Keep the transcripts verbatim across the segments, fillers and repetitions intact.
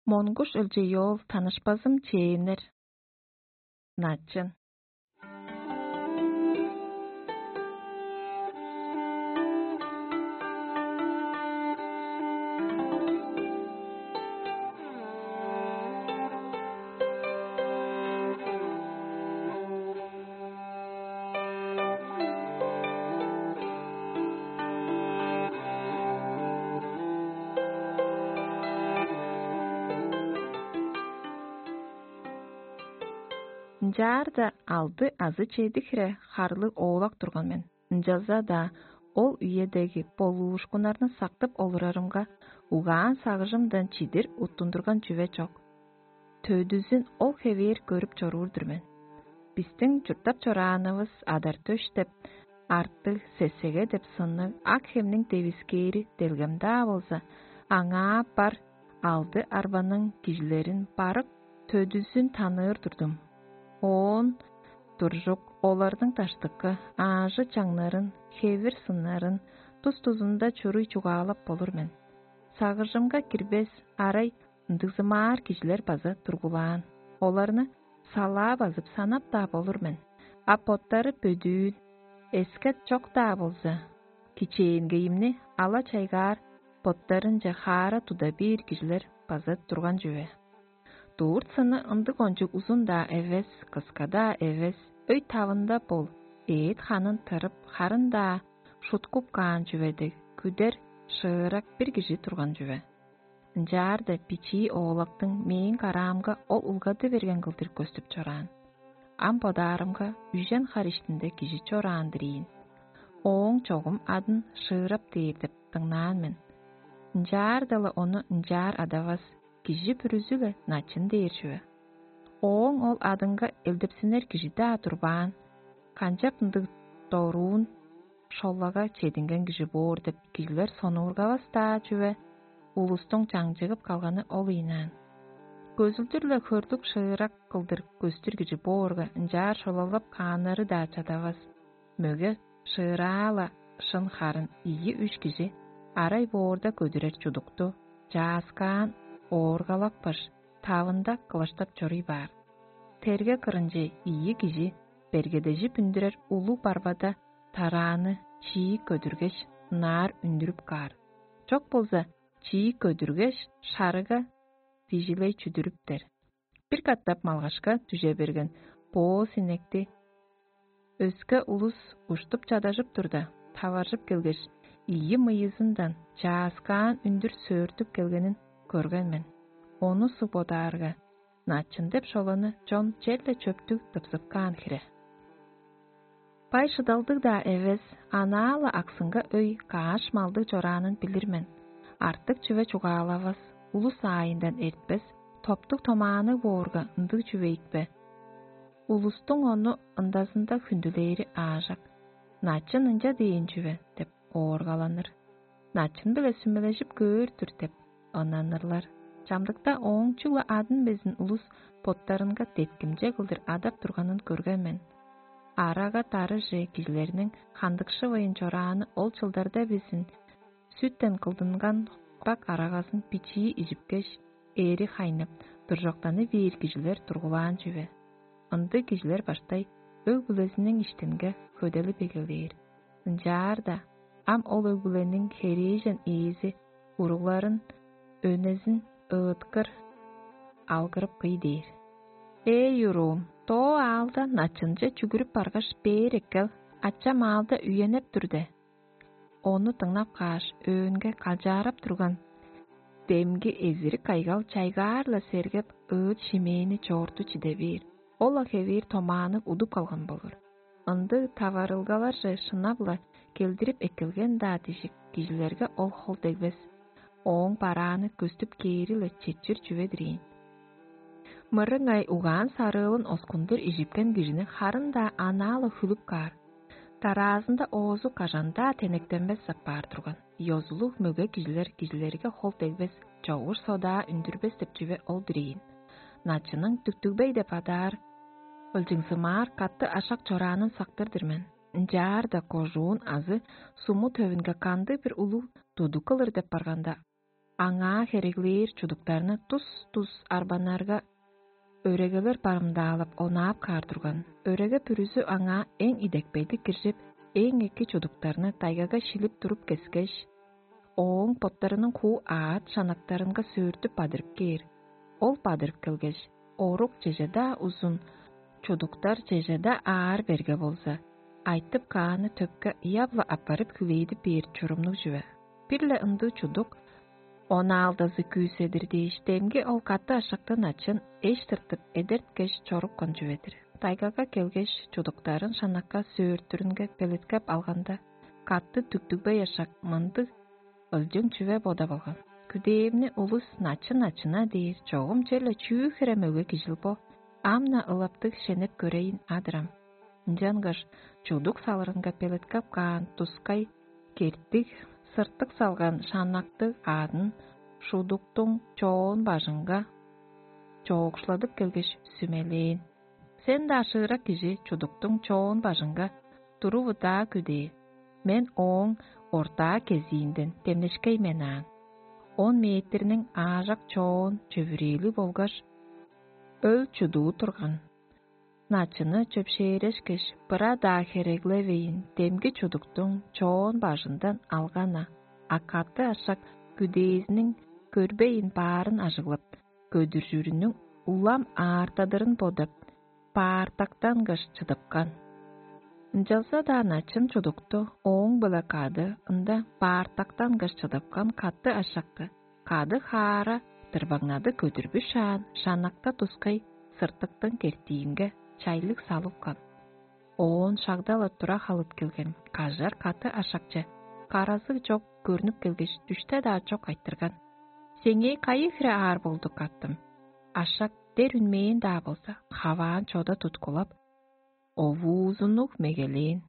Монгуш өлчей оол танышпазым чээннер. Начын. Ынчаарда алды азы чеди хире харлыг оолак турган мен. Ынчалза-даа ол үедеги болуушкуннарны сактып олурарымга, угаан-сагыжымдан чидир уттундурган чүве чок. Төдүзүн ол хевээр көрүп чоруур-дур мен. Бистиң чурттап чораанывыс адар-төш деп, артыг сесеге деп сынныг ак хемниң девискээри делгем-даа болза, аңаа бар алды арбаның кижилерин барык төдүзүн таныыр турдум. Оон туржук оларның даштыкы аажы-чаңнарын, хевир-сыннарын, тус-тузунда чуруй чугаалап болур мен. Сагыжымга кирбес арай ындыгзымаар кижилер база тургулаан. Оларны салаа базып санап-даа болур мен. А боттары бөдүүн, эскет чок-даа болза, кичээнгейимни ала-чайгаар боттарынче хаара туда бээр кижилер база турган чүве. Дурт сыны ындыг кончуг узун-даа эвес, кыска-даа эвес, өй тавында бол, эът ханын тырып, харын-даа шуткуп каан чүве дег, күдер, шыырак бир кижи турган чүве. Ынчаарда бичии оолактың мээң караамга ол улгады берген кылдыр көстүп чораан. Ам бодаарымга үжен хар иштинде кижи чораан-дыр ийин. Ооң чогум адын шыырап дээр деп дыңнаан мен. Ынчаарда-ла ону ынчаар адавас, кижи бүрүзү-ле начын дээр чүве. Ооң ол адынга элдепсинер кижи-даа турбаан, канчап ындыг доруун шолага чединген кижи боор деп кижилер сонуургавас-даа чүве, улустуң чаңчыгып калганы ол ыйнаан. Көзүлдүр-ле хөрлүг шыырак кылдыр көстүр кижи боорга, ынчаар шолалап кааннары-даа чадавас. Мөге шыыраа-ла шын харын ийи-үш кижи арай боорда көдүрер чудукту, чааскаан ооргалапкаш, тавында кылаштап чоруй баар. Терге кырынче ийи кижи бергедежип үндүрер улуг барбада тарааны чиик көдүргеш, ынаар үндүрүп каар. Чок болза, чиик көдүргеш, шарыга дижилей чүдүрүптер. Бир катап малгашка дүже берген боос инекти өске улус уштуп чадажып турда, таваржып келгеш, ийи мыйызындан чааскаан үндүр сөөртүп келгенин көрген мен. Ону суг бодаарга, начын деп шоланы чон черле чөптүг тыпсыпкаан хире. Бай шыдалдыг-даа эвес, анаа-ла аксынга өй кааш малдыг чораанын билир мен. Артык чүве чугаалавас, улус аайындан эртпес, топтуг томаанныг боорга, ындыг чүве ийикпе? Улустуң ону ындазында хүндүлээри аажок. «Начын ынча дээн чүве» – деп ооргаланыр. «Начын-биле сүмележип көөр-дүр» – деп ыннанырлар. Чамдыкта ооң чүгле адын безин улус боттарынга деткимче кылдыр адап турганын көрген мен. Арага-дарыже кижилерниң хандыкшывайн чорааны ол чылдарда безин сүттен кылдынган курак арагазын бичии ижипкеш, эри хайнып, дуржоктаны бээр кижилер тургулаан чүве. Ындыг кижилер баштай өг-бүлезиниң иштинге хөделип эгелээр. Ынчаарда ам ол өг-бүлениң херээжен ээзи уругларын өнезин ыыткыр алгырып кый дээр: «Эй, уруум, доо аалда начынче чүгүрүп баргаш, бээр эккел, ачам аалда үенеп тур де». Ону дыңнап кааш, өөнге калчаарап турган демги эзирик кайгал чайгаар-ла сергеп, ыыт-шимээни чоорту чиде бээр. Ол-ла хевээр томаанныг удуп калган болур. Ындыг таварылгаларже шынап-ла келдирип эккелген-даа дижик кижилерге ол хол дегбес. Ооң барааны көстүп кээри-ле четчир чүве-дир ийин. Мырыңай угаан-сарыылын оскундур ижипкен кижини харын-даа анаа-ла хүлүп каар. Дараазында оозу кажан-даа тенектенмес апаар турган. Ёзулуг мөге кижилер кижилерге хол дегбес, чогуш содаа үндүрбес деп чүве ол-дур ийин. Начының дүктүгбей деп адаар, ылчыңзымаар катты ашак чораанын сактыр-дыр мен. Ынчаарда кожуун азы суму төвүнге кандыг-бир улуг тудуг кылыр деп барганда, аңаа хереглээр чудуктарны тус-тус арбаннарга өрегелер барымдаалап, онаап каар турган. Өреге бүрүзү аңаа эң идепкейлиг киржип, эң эки чудуктарны тайгага шилип туруп кескеш, ооң боттарының хуу аът шанактарынга сөөртүп бадырып кээр. Ол бадырып келгеш, орук чеже-даа узун, чудуктар чеже-даа аар берге болза, айтып кааны төпке ыяп-ла аппарып хүлээдип бээр чурумнуг чүве. Бир-ле ындыг чудук онаалдазы күүседир дээш, демги ол каты ашактан ачын эш тыртып, эдерткеш чорупкан чүве-дир. Тайгага келгеш, чудуктарын шанакка сөөртүрүнге белеткеп алганда, каты дүктүгбей ашак мындыг ылчың чүве бодап алган: «Күдээвни улус начын-начына дээр, чогум черле чүү хире мөге кижил бо? Ам-на ылаптыг шенеп көрейн адырам». Ынчангаш чудук салырынга белеткеп каан тускай кертиг, сыртык салган шаннактыг аъдын шудуктуң чоон бажынга чоокшуладып келгеш, сүмелээн: «Сен-даа шыырак кижи чудуктуң чоон бажынга туруп-удаа күдээ, мен ооң ортаа кезиинден демнешкей мен аан. Он метрниң аажак чоон чөвүрээли болгаш, өл чудуу турган. Начыны чөпшээрешкеш, быра-даа хереглевейн, демги чудуктуң чоон бажындан алган-на, а каты ашак күдээзиниң көрбейн баарын ажыглап, көдүржүрүнүң улам аартадырын бодап, баартактангаш чыдыпкан». Ынчалза-даа начын чудукту ооң-биле кады ында баартактангаш чыдыпкан каты ашакты кады хаара тырбаңнады көдүрбүшаан шаннакта тускай сыртыктың кертиинге чайлыг салыпкан. Оон шагда-ла тура халыт келген кажар каты ашакче каразы чок көрнүп келгеш, дүште-даа чок айтырган: «Сеңээ кайы хире аар болду, каттым?» Ашак дер үнмээн-даа болза, хаваан чода туткулап, овуузуннуг мегелээн: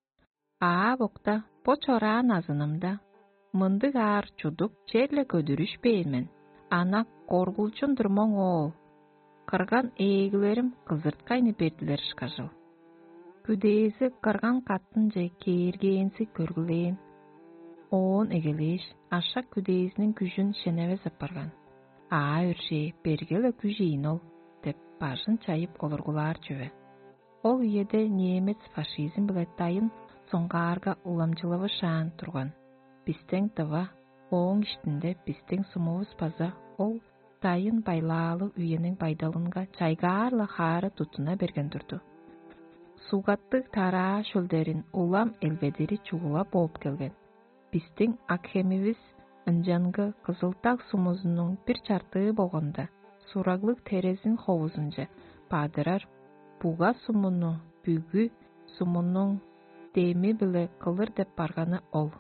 «Аап-окта, бо чораан азынымда мындыг аар чудук черле көдүрүшпээн мен, ана коргулчун-дур моң оол. Кырган ээглерим кызырткайны бердилер ышкажыл». Күдээзи кырган каттынче кээргээнзи көргүлээн. Оон эгелээш, ашак күдээзиниң күжүн шеневес апарган. «Аа өршээ, берге-ле күжейн ол» – деп, бажын чайып олургулаар чүве. Ол үеде немец фашизм-биле дайын соңгаарга уламчылавышаан турган. Бистең дыва, ооң иштинде бистең сумувус база ол дайын байлаалыг үениң байдалынга чайгаар-ла хаара туттуна берген турду. Сугаттыг тараа шөлдерин улам элбедири чугула бооп келген. Бистиң акхемивис ынчангы Кызыл-Даг сумузунуң бир чартыы болганда, сураглыг терезин ховузунче бадырар буга сумуну бүгү сумунуң деми-биле кылыр деп барганы ол.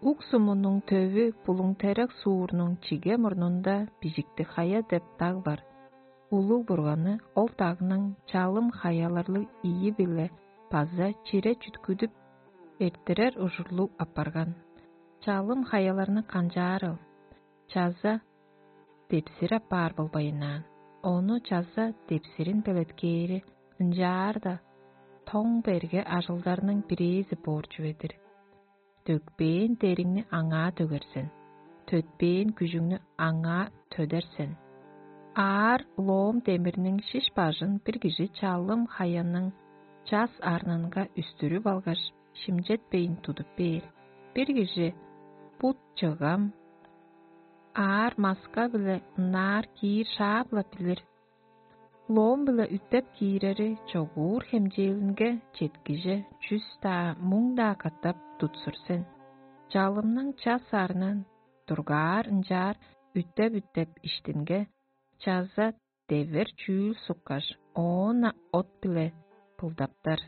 Ук сумунуң төвү Булуң-Терек суурнуң чиге мурнунда Бижиктиг-Хая деп даг бар. Улуг Бурганы ол дагның чалым хаяларлыг ийи-биле база чире чүткүдүп эрттирер ужурлуг апарган. Чалым хаяларны канчаарыл? Чаза депсир апаар болбайнаан, ону чаза депсирин белеткээри ынчаар-даа тоң берге ажылдарның бирээзи боор чүве-дир. Дөкпээн дериңни аңаа дөгер сен, төтпээн күжүңнү аңаа төдер сен. Аар лоом демирниң шиш бажын бир кижи чалым хаяның час арнынга үстүрүп алгаш, шимчетпейн тудуп бээр. Бир кижи бут чыгам аар маска-биле ынаар киир шаап-ла билир. Лоом-биле үттеп киирери чогуур хемчээлинге четкиже чүс-даа, муң-даа катап тутсур сен. Чалымның час арнын дургаар ынчаар үттеп-үттеп иштинге чаза девер чүүл суккаш, оон-на от-биле былдаптар.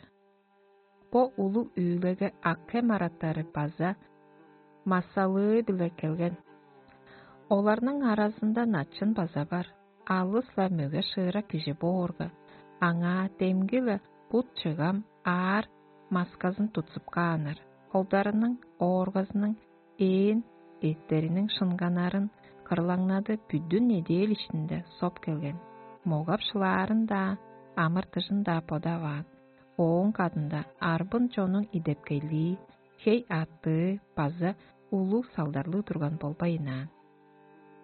Бо улуг үүлеге акхем араттары база массалыы-биле келген. Оларның аразында начын база бар. Алыс-ла мөге шыырак кижи боорга, аңаа демги-ле бут чыгам аар масказын тутсуп кааннар. Холдарының, ооргазының ээн эъттериниң шынганнарын кырлаңнады бүдүн неделя иштинде соп келген. Могап шылаарын-даа, амыр-дыжын-даа бодаваан. Ооң кадында арбын чонуң идепкейлии, хей-аъттыы база улуг салдарлыг турган болбайнаан.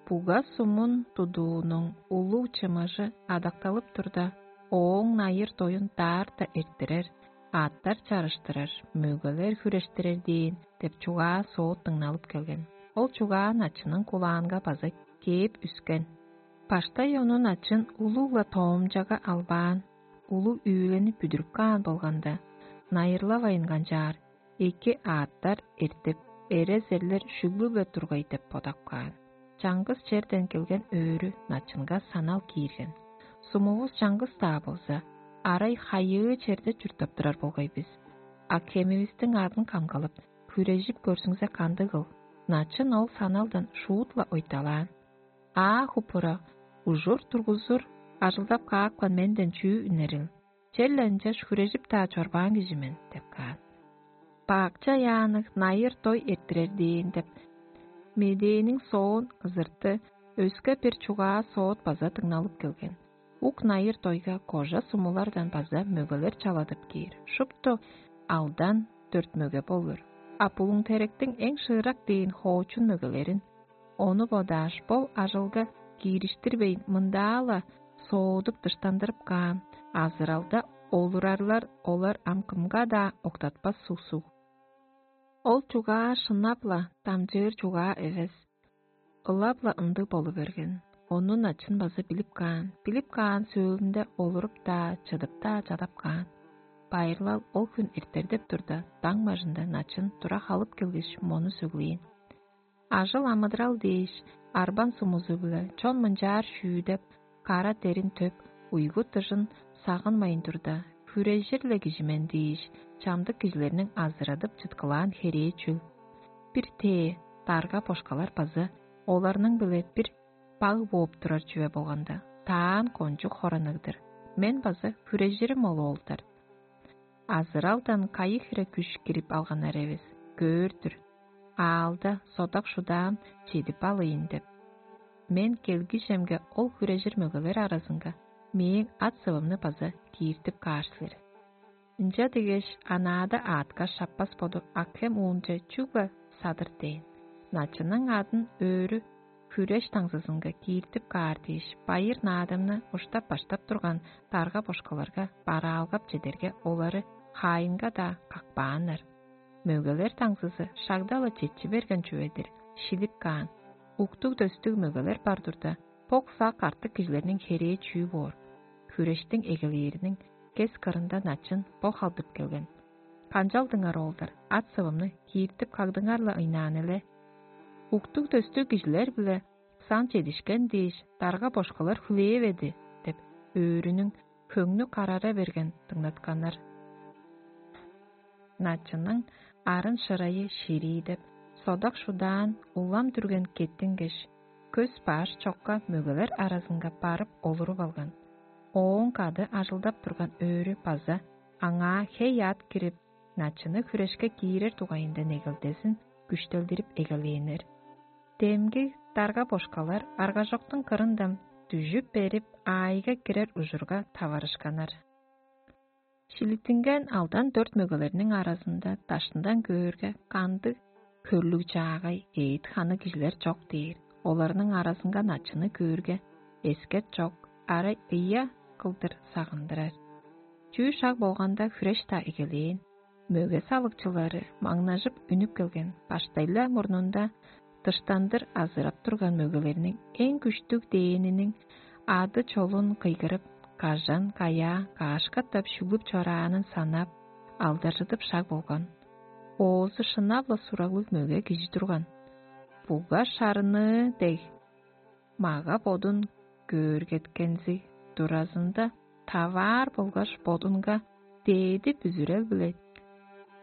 Буга сумун тудуунуң улуг чымыжы адакталып турда, ооң найыр-доюн даарта эрттирер, аъттар чарыштырар, мөгелер хүрештирер дээн деп чугаа-соот дыңналып келген. Ол чугаа начынның кулаанга база кээп үскен. Баштай ону начын улуг-ла тоомчага албаан, улуг үүлени бүдүрүп каан болганда, найырлавайн канчаар, эки аъттар эртип, эрезерлер шүглү-биле тургай деп бодап каан. Чаңгыс черден келген өөрү начынга санал киирген. Сумувус чаңгыс-даа болза, арай хайыы черде чурттап турар болгай бис. А кемивистиң адын камгалап, хүрежип көрзүңзе кандыгыл? Начын ол саналдан шуут-ла ойталаан. Аа хупура, ужур тургузур, ажылдап каапкан менден чүү үнерил? Черле ынчаш хүрежип-даа чорбаан кижи мен деп каан. Баакча яанныг найыр-дой эрттирер дээн деп, медээниң соон ызырты өске бир чугаа соот база дыңналып келген. Ук найыр-дойга кожа сумулардан база мөгелер чаладып кээр. Шупту алдан дөрт мөге болур. А булуң теректиң эң шыырак дээн хоочун мөгелерин, ону бодааш, бо ажылга киириштирбейн, мындаа-ла соодуп дыштандырып каан, азыралда олурарлар олар ам кымга-даа октатпас суг-суг. Ол чугаа шынап-ла дамчыыр чугаа эвес, ылап-ла ындыг болу берген. Ону начын база билип каан, билип каан сөөлүнде олуруп-даа, чыдып-даа чадап каан. Байырлал ол хүн эртердеп турда, даң бажында начын тура халып келгеш, мону сөглээн: «Ажыл-амыдырал дээш, арбан сумузу-биле чон мынчаар шүүдеп, кара дерин төп, уйгу-дыжын сагынмайн турда, хүрежир-ле кижи мен дээш, чамдык кижилерниң азырадып чыткылаан херээ чүл? Бир тээ дарга-бошкалар база оларның-биле бир баг бооп турар чүве болганда, таан кончуг хораныгдыр. Мен база хүрежирим ол оолдар. Азыралдан кайы хире күш кирип алганнар эвес, көөр-дүр. Аалда содак-шудаам чедип алыйн деп. Мен келгижемге ол хүрежир мөгелер аразынга мээң ат-сывымны база кииртип каар силер». Ынча дегеш, анаада аътка шаппас боду акхем уунче чүгле садыр дээн. Начынның адын өөрү хүреш таңзызынга кииртип каар дээш, байыр-наадымны уштап-баштап турган дарга-бошкаларга бараалгап чедерге, олары хаайынга-даа какпааннар. Мөгелер таңзызы шагда-ла четчи берген чүве-дир, шилип каан. Уктуг-дөстүг мөгелер бар турда, бок-сак артык кижилерниң херээ чүү боор? Хүрештиң эгелээриниң кес кырында начын бо халдып келген: «Канчалдыңар, оолдар, ат-сывымны кииртип кагдыңар-ла ыйнаан эле. Уктуг-дөстүг кижилер-биле сан чедишкен дээш, дарга-бошкалар хүлээведи» – деп, өөрүнүң хөңнү карара берген дыңнатканнар. Начынның арын-шырайы ширии деп, содак-шудаан улам дүрген кеттингеш, көс баш чокка мөгелер аразынга барып олуруп алган. Ооң кады ажылдап турган өөрү база аңаа хей-аът кирип, начыны хүрешке киирер дугайында негелдезин күштелдирип эгелээннер. Демги дарга-бошкалар аргажоктуң кырындан дүжүп берип, аайга кирер ужурга таварышканнар. Шилиттинген алдан дөрт мөгелерниң аразында даштындан көөрге, кандыг хөрлүг-чаагай, эът-ханы кижилер чок дээр. Оларның аразынга начыны көөрге, эскет чок, арай ыя кылдыр сагындырар. Чүү шаг болганда, хүреш-даа эгелээн. Мөге салыкчылары маңнажып үнүп келген, баштай-ла мурнунда дыштандыр азырап турган мөгелерниң эң күштүг дээниниң ады-чолун кыйгырып, кажан-каяа каашкаттап шүглүп чораанын санап, алдаржыдып шаг болган. Оозу шынап-ла сураглыг мөге кижи турган. Буга шарыныы дег, мага-бодун көөргеткензи туразында таваар болгаш бодунга дээди бүзүрел-биле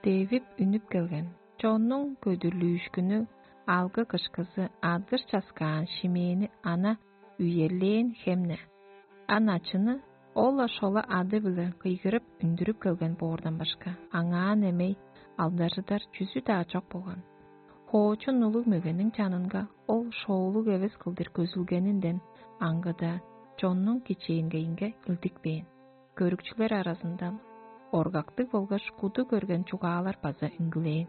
девип үнүп келген. Чоннуң көдүрлүүшкүнү, алгы-кышкызы, адыр-часкаан шимээни ана үерлээн хем-не. А начыны ол-ла шола ады-биле кыйгырып үндүрүп келген боордан башка, аңаа немей алдаржыдар чүзү-даа чок болган. Хоочун улуг мөгениң чанынга ол шоолуг эвес кылдыр көзүлгенинден аңгыда, чоннуң кичээнгейинге илдикпээн. Көрүкчүлер аразындан оргактыг болгаш куду көрген чугаалар база үнгүлээн.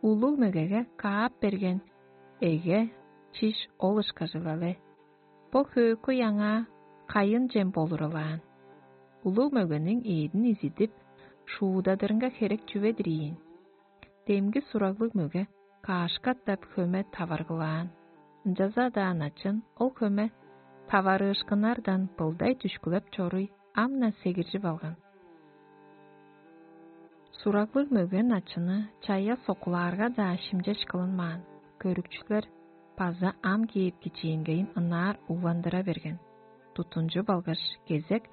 Улуг мөгеге каап берген эге чиш ол ышкажыл але. Бо хөөкүй аңаа кайын чем болуралаан. Улуг мөгениң эъдин изидип, шуудадырынга херек чүве-дир ийин. Демги сураглыг мөге каашкаттап хөме таваргылаан. Ынчалза-даа начын ол хөме таварыышкыннардан былдай дүшкүлеп чоруй ам-на сегиржип алган. Сураглыг мөге начыны чая сокулаарга-даа шимчеш кылынмаан. Көрүкчүлер база ам кээп кичээнгейин ынаар угландыра берген. Тутунчу болгаш кезек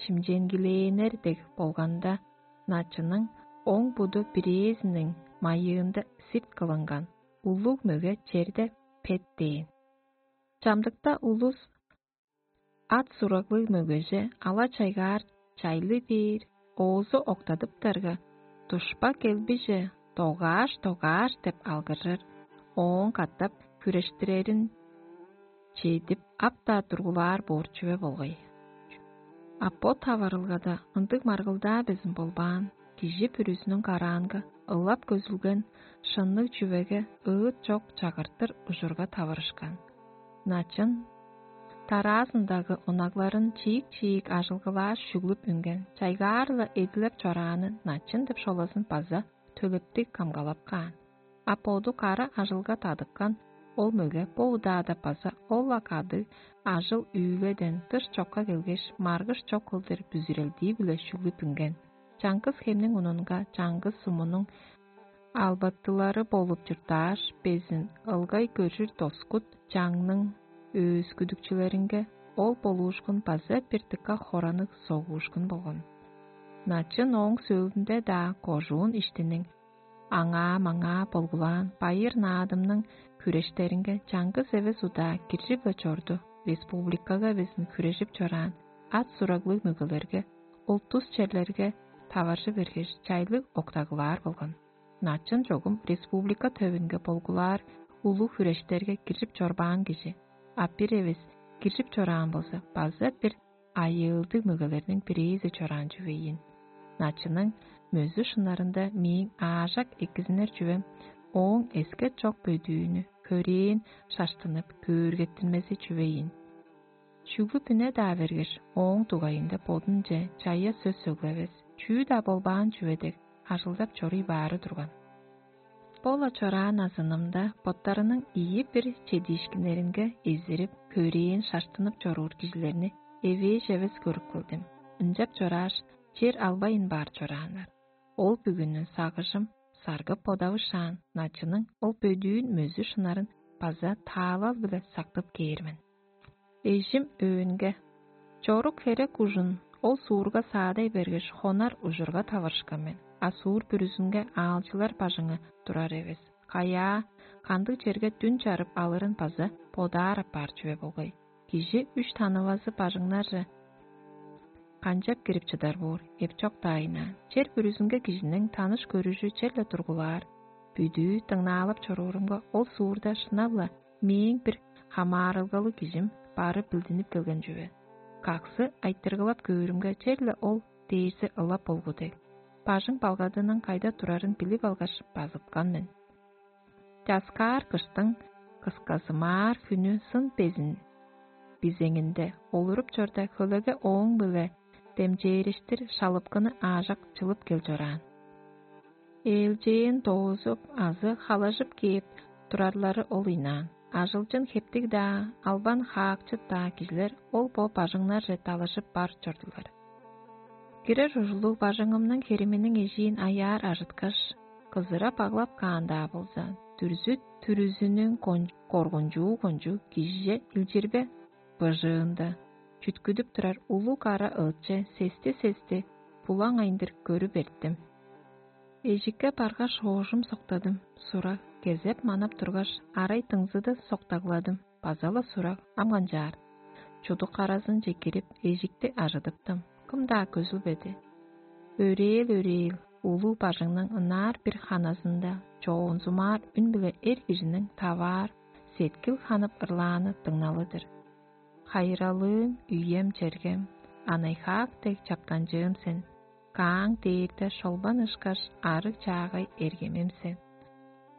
шимченгилээннер дег болганда, начының оң буду бирээзиниң майыында сирт кылынган, улуг мөге черде пет дээн. Чамдыкта улус ат сураглыг мөгеже ала-чайгаар чайлы бээр, оозу октадыптарга, душпа келбиже догааш-догааш деп алгыржыр, ооң катап хүрештирерин чедип, ап-даа тургулаар боор чүве болгай. А бо таварылгада ындыг маргылдаа безин болбаан, кижи бүрүзүнүң караанга ылап көзүлген шынныг чүвеге ыыт чок чагыртыр ужурга таварышкан. Начын тараазындагы онагларын чиик-чиик ажылгылааш шүглүп үнген, чайгаар-ла эдилеп чорааны начын деп шолазын база төлептиг камгалап каан. А боду кара ажылга тадыккан ол мөге бо удаада база ол-ла кадыг ажыл-үүледен дыш чокка келгеш, маргыш чок кылдыр бүзүрелдии-биле шүглүп үнген. Чаңгыс хемниң унунга чаңгыс сумунуң албаттылары болуп чурттааш, безин ылгай көржүр доскут чаңның өөскүдүкчүлеринге ол болуушкун база бир дыка хораныг согуушкун болган. Начын ооң сөөлүнде-даа кожуун иштиниң аңаа-маңаа болгулаан байыр наадымның хүрештеринге чаңгыс эвес удаа киржип-ле чорду, республикага безин хүрежип чораан ат сураглыг мөгелерге, ултус черлерге таваржы бергеш, чайлыг октагылаар болган. Начын чогум республика төвүнге болгулаар улуг хүрештерге киржип чорбаан кижи, а бир эвес киржип чораан болза, база бир айыылдыг мөгелерниң бирээзи чораан чүве ийин. Начының мөзү шынарында мээң аажак экизинер чүвем ооң эскет чок бөдүүнү хөрээн шаштынып көөргеттинмези чүве ийин. Чүглү бүне-даа бергеш, ооң дугайында бодунче чая сөс сөглевес, чүү-даа болбаан чүве дег ажылдап чоруй баары турган. Бо-ла чораан азынымда боттарының ийи бир чедиишкиннеринге эзирип, хөрээн шаштынып чоруур кижилерни эвээш эвес көрүп келдим. Ынчап чорааш, чер албайн баар чорааннар. Ол бүгүнү сагыжым саргып бодавышаан, начының ол бөдүүн мөзү шынарын база таалал-биле сактып кээр мен. Эжим өөнге: «Чорук херек ужун ол суурга саадай бергеш, хонар ужурга таварышкан мен, а суур бүрүзүнге аалчылар бажыңы турар эвес. Каяа, кандыг черге дүн чарып алырын база бодаар апаар чүве болгай. Кижи үш танывазы бажыңнарже канчап кирип чыдар боор, эпчок-даа ыйнаан. Чер бүрүзүнге кижиниң таныш-көрүжү черле тургулаар. Бүдүү дыңнаалап чоруурумга, ол суурда шынап-ла мээң бир хамаарылгалыг кижим бары билдинип келген чүве. Каксы айтыргылап көөрүмге, черле ол дээрзи ылап болгу дег. Бажың балгадының кайда турарын билип алгаш, базыткан мен. Часкаар кыштың кысказымаар хүнү сын безин бизеңинде олуруп чорда, хөлеге ооң-биле демчээриштир шалыпкыны аажак чылып кел чораан. Ээлчээн доозуп азы халажып кээп турарлары ол ыйнаан. Ажылчын хептиг-даа, албан хаакчыт-даа кижилер ол-бо бажыңнарже далажып бар чордулар. Кирер ужурлуг бажыңымның хериминиң эжиин аяар ажыткаш, кызыра баглап каан-даа болза, дүрзү-түрүзүнүң коргунчуу кончуг кижиже илчирбе быжыында, чүткүдүп турар улуг ара ыытче сести-сести булаң айындыр көрүп эрттим. Эжикке баргаш, оожум соктадым, сура кезеп манап тургаш, арай дыңзыды соктагладым, база-ла сураг ам канчаар. Чудук аразынче кирип, эжикти ажыдыптым, кым-даа көзүлбеди. Өрээл-өрээл улуг бажыңның ынаар бир ханазында чоонзумаар үн-биле эр кижиниң таваар сеткил ханып ырлааны дыңналы-дыр. Хайыралыым, үем-чергем, анай-хаак дег чаптанчыым сен, кааң дээрде шолбан ышкаш арыг-чаагай эргемим сен.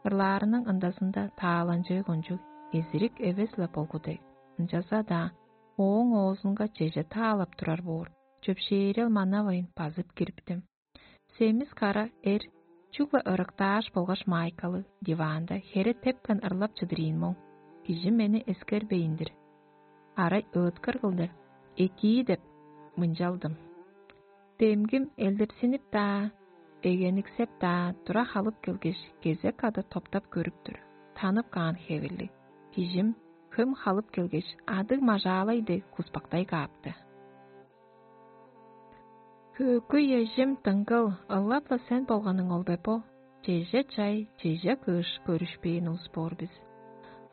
Ырлаарының ындазында тааланчыы кончуг эзирик эвес-ле болгу дег. Ынчалза-даа ооң оозунга чеже таалап турар боор, чөпшээрел манавайн базып кириптим. Семис кара эр чүгле ырыктааш болгаш маайкалыг диваанда хере тепкен ырлап чыдырыын моң, кижи мени эскербейн-дир. Арай ыыткыр кылдыр «экии» деп мынчалдым. Демгим элдепсинип-даа, эгениксеп-даа тура халып келгеш, кезек кады топтап көрүп тур. Танып каан хевирлиг. Кижим хөм халып келгеш, адыг мажаалай дег куспактай каапты. Хөөкүй эжим дыңгыл, ылап-ла сен болганың ол бе бо? Чеже чай, чеже кыш көрүшпээн улус боор бис.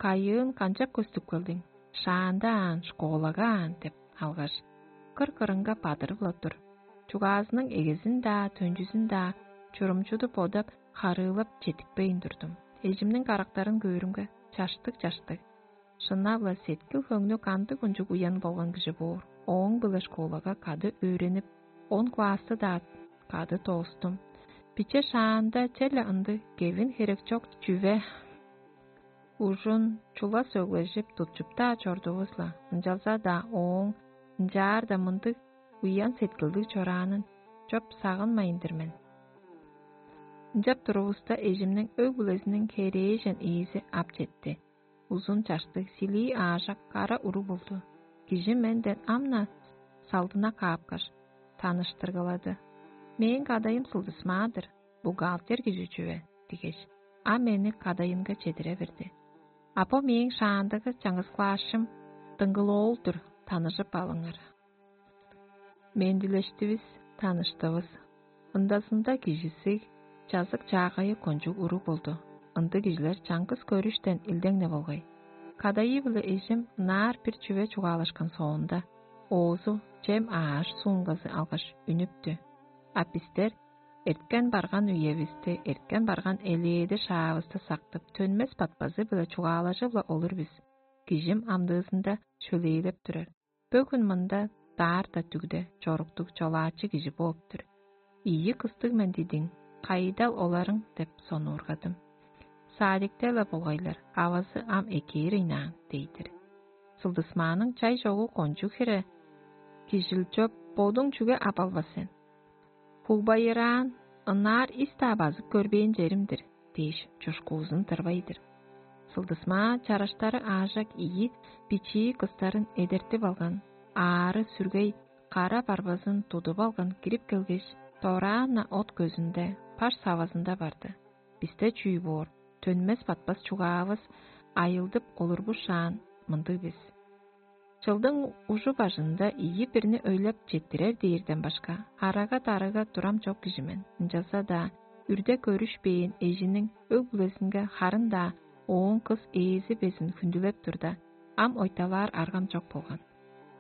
Кайыын канчап көстүп келдиң? Шаанда аан, школага аан деп алгаш, кыр-кырынга бадырып-ла тур. Чугаазының эгезин-даа, төнчүзүн-даа чурумчуду бодап, харыылап четтикпейн турдум. Эжимниң карактарын көөрүмге, чаштыг-чаштыг. Шынап-ла сеткил-хөңнү кандыг ынчыг уян болган кижи боор. Ооң-биле школага кады өөренип, он классты-даа кады доостум. Биче шаанда черле ындыг кевин херек чок чүве ужун чула сөглежип, тутчуп-даа чордувус-ла. Ынчалза-даа ооң ынчаар-даа мындыг уян сеткилдиг чораанын чоп сагынмайн-дыр мен. Ынчап турувуста, эжимниң өг-бүлезиниң херээжен ээзи ап четти. Узун чаштыг, силии аажак кара уруг болду. Кижи менден ам-на салдына каапкаш, таныштыргылады. «Мээң кадайым Сылдысмаа-дыр, бухгалтер кижи чүве» — дигеш, а мени кадайынга чедире берди. «А бо мээң шаандагы чаңгыс клаасчым Дыңгыл-оол-дур, таныжып алыңар». Мендилештивис, таныштывыс. Ындазында кижизиг, чазык-чаагайы кончуг уруг болду. Ындыг кижилер чаңгыс көрүштен илдең-не болгай. Кадайы-биле эжим ынаар бир чүве чугаалашкан соонда, оозу чем ааш суунмазы алгаш үнүптү. А бистер эрткен-барган үевисти, эрткен-барган элээди шаавысты сактып, төнмес батпазы-биле чугаалажып-ла олур бис. Кижим амдыызында шөлээлеп турар. Бөгүн мында даарта дүгде чоруктуг чолаачы кижи бооп-тур. «Ийи кыстыг мен дидиң, кайдал оларың?» — деп сонуургадым. «Садикте-ле болгайлар, авазы ам экээр ыйнаан» — дей-дир. Сылдысмааның чай чогу кончуг хире кижил чоп, бодуң чүге ап албас сен? Хугбайыраан, ынаар ис-даа базып көрбээн черим-дир дээш, чушкуузун тырбай-дыр. Сылдысмаа чараштары аажак ийи бичии кыстарын эдертип алган, аары-сүргей кара барбазын тудуп алган кирип келгеш, дораан-на от көзүнде, паш савазында барды. Бисте чүү боор, төнмес-батпас чугаавыс айылдып олурбушаан мындыг бис. Чылдың ужу бажында ийи бирни өйлеп четтирер дээрден башка, арага-дарыга турам чок кижи мен. Ынчалза-даа үрде көрүшпээн эжиниң өг-бүлезинге харын-даа ооң кыс ээзи безин хүндүлеп турда, ам ойталаар аргам чок болган.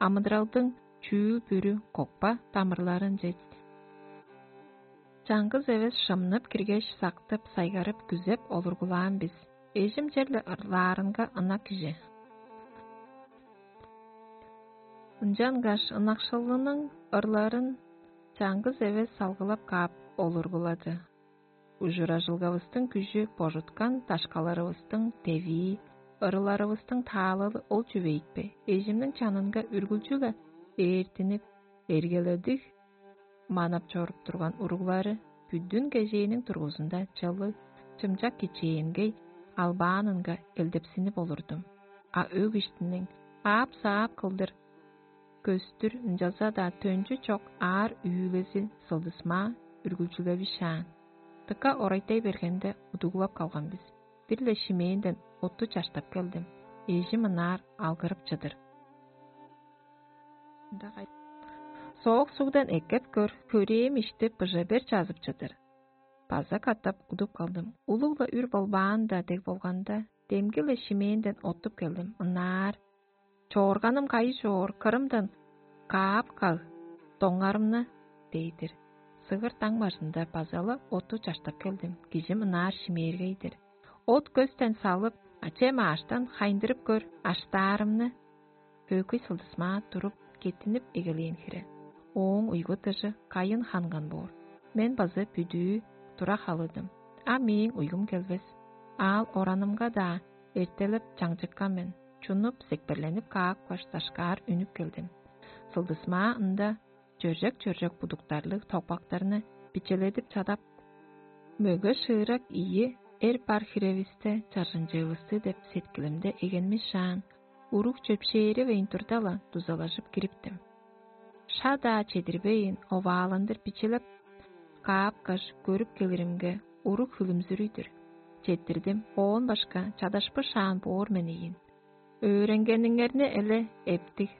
Амыдыралдың чүүл-бүрү кокпа дамырларынче чаңгыс эвес шымнып киргеш, сактып, сайгарып, күзеп олургулаан бис. Эжим черле ырлаарынга ынак кижи. Ынчангаш ынакшылының ырларын чаңгыс эвес салгылап каап олургулады. Ужуражылгавыстың күжү, божуткан дашкаларывыстың девии, ырыларывыстың таалалы ол чүве ийикпе? Эжимниң чанынга үргүлчү-ле ээртинип, эргеледиг манап чоруп турган уруглары бүдүн кежээниң дургузунда чылыг, чымчак кичээнгей албаанынга элдепсинип олурдум. А өг иштиниң аап-саап кылдыр көстүр, ынчалза-даа төнчү чок аар үүлези Сылдысмаа үргүлчүлевишаан. Дыка орайтай бергенде, удуглап калган бис. Бир-ле шимээнден отту чаштап келдим. Эжим ынаар алгырып чыдыр. Соок сугдан эккеп көр, хөрээм ишти быжа бер чазып чыдыр. База катап удуп калдым. Улуг-ла үр болбаан-даа дег болганда, демги-ле шимээнден оттуп келдим. Ынаар: «Чоорганым кайы чоор, кырымдан каап каг доңарымны» — дей-дир. Сыгыр даң бажында база-ла отту чаштап келдим, кижим ынаар шимээргей-дир. От көстен салып, ачем ааштан хайындырып көр аштаарымны. Хөөкүй Сылдысмаа туруп, кеттинип эгелээн хире. Ооң уйгу-дыжы кайын ханган боор. Мен база бүдүү тура халыдым. А мээң уйгум келбес. аал оранымга-даа эртелеп чаңчыккан мен. Чунуп, секперленип каапкаш, дашкаар үнүп келдим. Сылдысмаа ында чөржек-чөржек будуктарлыг токпактарны бичеледип чадап, мөге шыырак ийи эр бар хиревисте чаржынчыывысты деп сеткилимде эгенмишаан, уруг чөпшээривейн турда-ла дузалажып кириптим. Ша-даа чедирбейн, овааландыр бичелеп каапкаш, көрүп келиримге, уруг хүлүмзүрүй-дүр. Четтирдим, оон башка чадашпышаан боор мен ийин. Өөренгениңерни эле эптиг,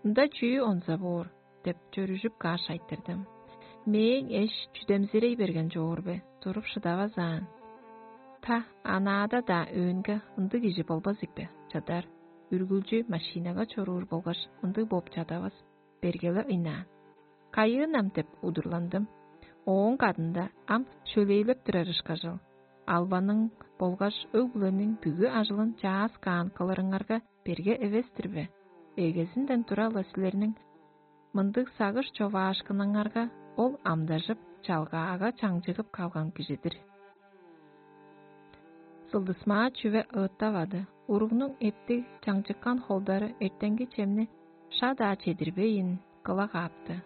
ында чүү онза боор деп чөрүжүп кааш айтырдым. Мээң эш чүдемзирей берген чоор бе, туруп шыдавазаан. Та, анаада-даа өөнге ындыг кижи болбас ийикпе, чадар, үргүлчү машинага чоруур болгаш ындыг бооп чадавас, бергеле ыйнаан. Кайыын ам деп удурландым. Ооң кадында ам шөлээлеп турар ышкажыл. Албаның болгаш өг-бүлениң бүгү ажылын чаас каан кылырыңарга берге эвес-тир бе? Эгезинден тура-ла силерниң мындыг сагыш човаашкыныңарга ол амдажып, чалгаага чаңчыгып калган кижи-дир. Сылдысмаа чүве ыыттавады. Уругнуң эптиг чаңчыккан холдары эртенги чемни ша-даа чедирбейн, кыла каапты.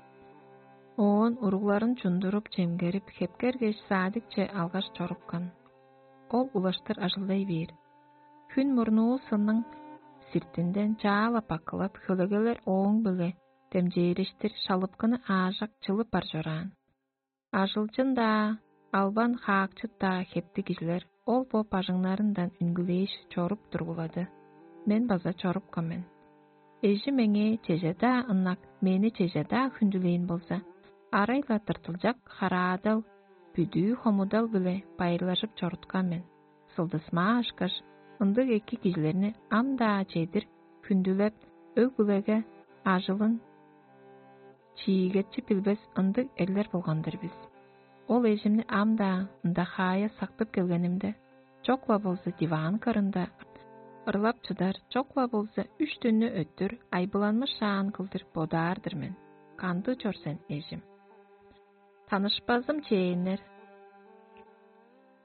Оон уругларын чундуруп, чемгерип, хепкергеш, садикче алгаш чорупкан. Ол улаштыр ажылдай бээр. Хүн мурнуу сынның сиртинден чаала бакылап, хөлегелер ооң-биле демчээриштир шалыпкыны аажак чылып бар чораан. Ажылчын-даа, албан хаакчыт-даа хептиг кижилер ол бо бажыңнарындан үнгүлээш чоруп тургулады. Мен база чорупкан мен. Эжи меңээ чеже-даа ынак, мени чеже-даа хүндүлээн болза, арай-ла тыртылчак хараадал, бүдүү хомудал-биле байырлажып чоруткан мен. Сылдысмаа ышкаш, ындыг эки кижилерни ам-даа чедир хүндүлеп, өг-бүлеге ажылын чиигетчи билбес ындыг эрлер болган-дыр бис. Ол эжимни ам-даа ында хаая сактып келгенимде, чок-ла болза диван кырында ырлап чыдар, чок-ла болза үш дүннү өттүр айбыланмышаан кылдыр бодаар-дыр мен. Кандыг чор сен, эжим? Танышпазым чээннер.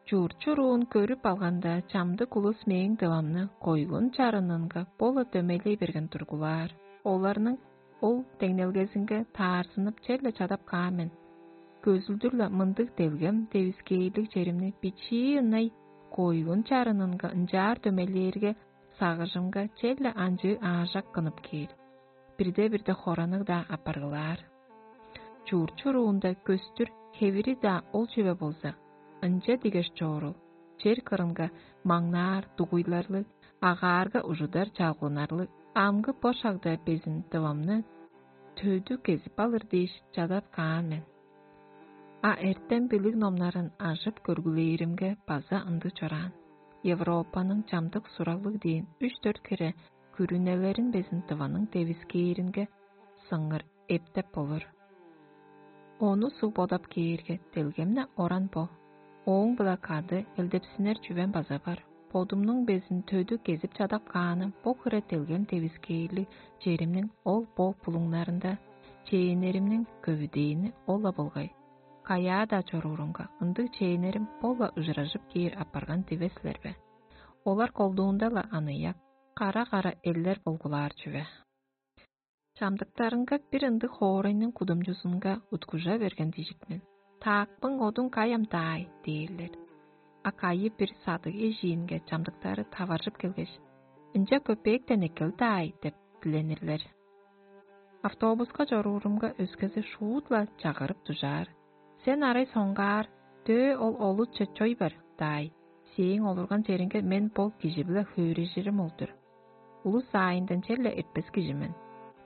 Чуурчуруун көрүп алганда, чамдык улус мээң дывамны койгун чарынынга бо-ла дөмейлей берген тургулаар. Оларның ол деңнелгезинге таарзынып, черле чадап каан мен. Көзүлдүр-ла мындыг делгем девискээрлиг черимни бичии ынай койгун чарынынга ынчаар дөмейлээрге, сагыжымга черле анчыы аажак кынып кээр. Бирде-бирде хоранык-даа апаргылаар. Чуурчуруунда көстүр хевири-даа ол чүве болза, ынча дигеш чоорул, чер кырынга маңнаар дугуйларлыг, агаарга ужудар чалгынарлыг амгы бо шагда безин дывамны төдү кезип алыр дээш чадап каан мен. А эртем билиг номнарын ажып көргүлээримге база ындыг чораан. Европаның чамдык сураглыг дээн үш-дөрт хире күрүнелерин безин дываның девискээринге сыңыр эптеп болур. Ону суг бодап кээрге, делгемне оран бо. Ооң-биле кады элдепсинер чүвем база бар. Бодумнуң безин төдү кезип чадап кааны бо хире делгем девискээрлиг черимниң ол бо булуңнарында чээннеримниң көвүдээни ол-ла болгай. Каяа-даа чоруурунга, ындыг чээннерим бо-ла ыжыражып кээр апарган дивес силер бе? Олар колдуунда-ла аныяк, кара-кара эллер болгулаар чүве. Чамдыктарынга бир ындыг хоорайның кудумчузунга уткужа берген дижик мен. «Таакпың одуң кай ам даай?» – дээрлер. А кайы бир садыг эжиинге чамдыктары таваржып келгеш: «Ынча көпээктен эккел даай» – деп диленирлер. Автобуска чоруурумга өскези шуут-ла чагырып дужаар: «Сен арай соңгаар, дөө ол олуче чой бар даай, сээң олурган чериңге мен бо кижи-биле хөөрежирим ол-дур. Улус аайындан черле эртпес кижи мен.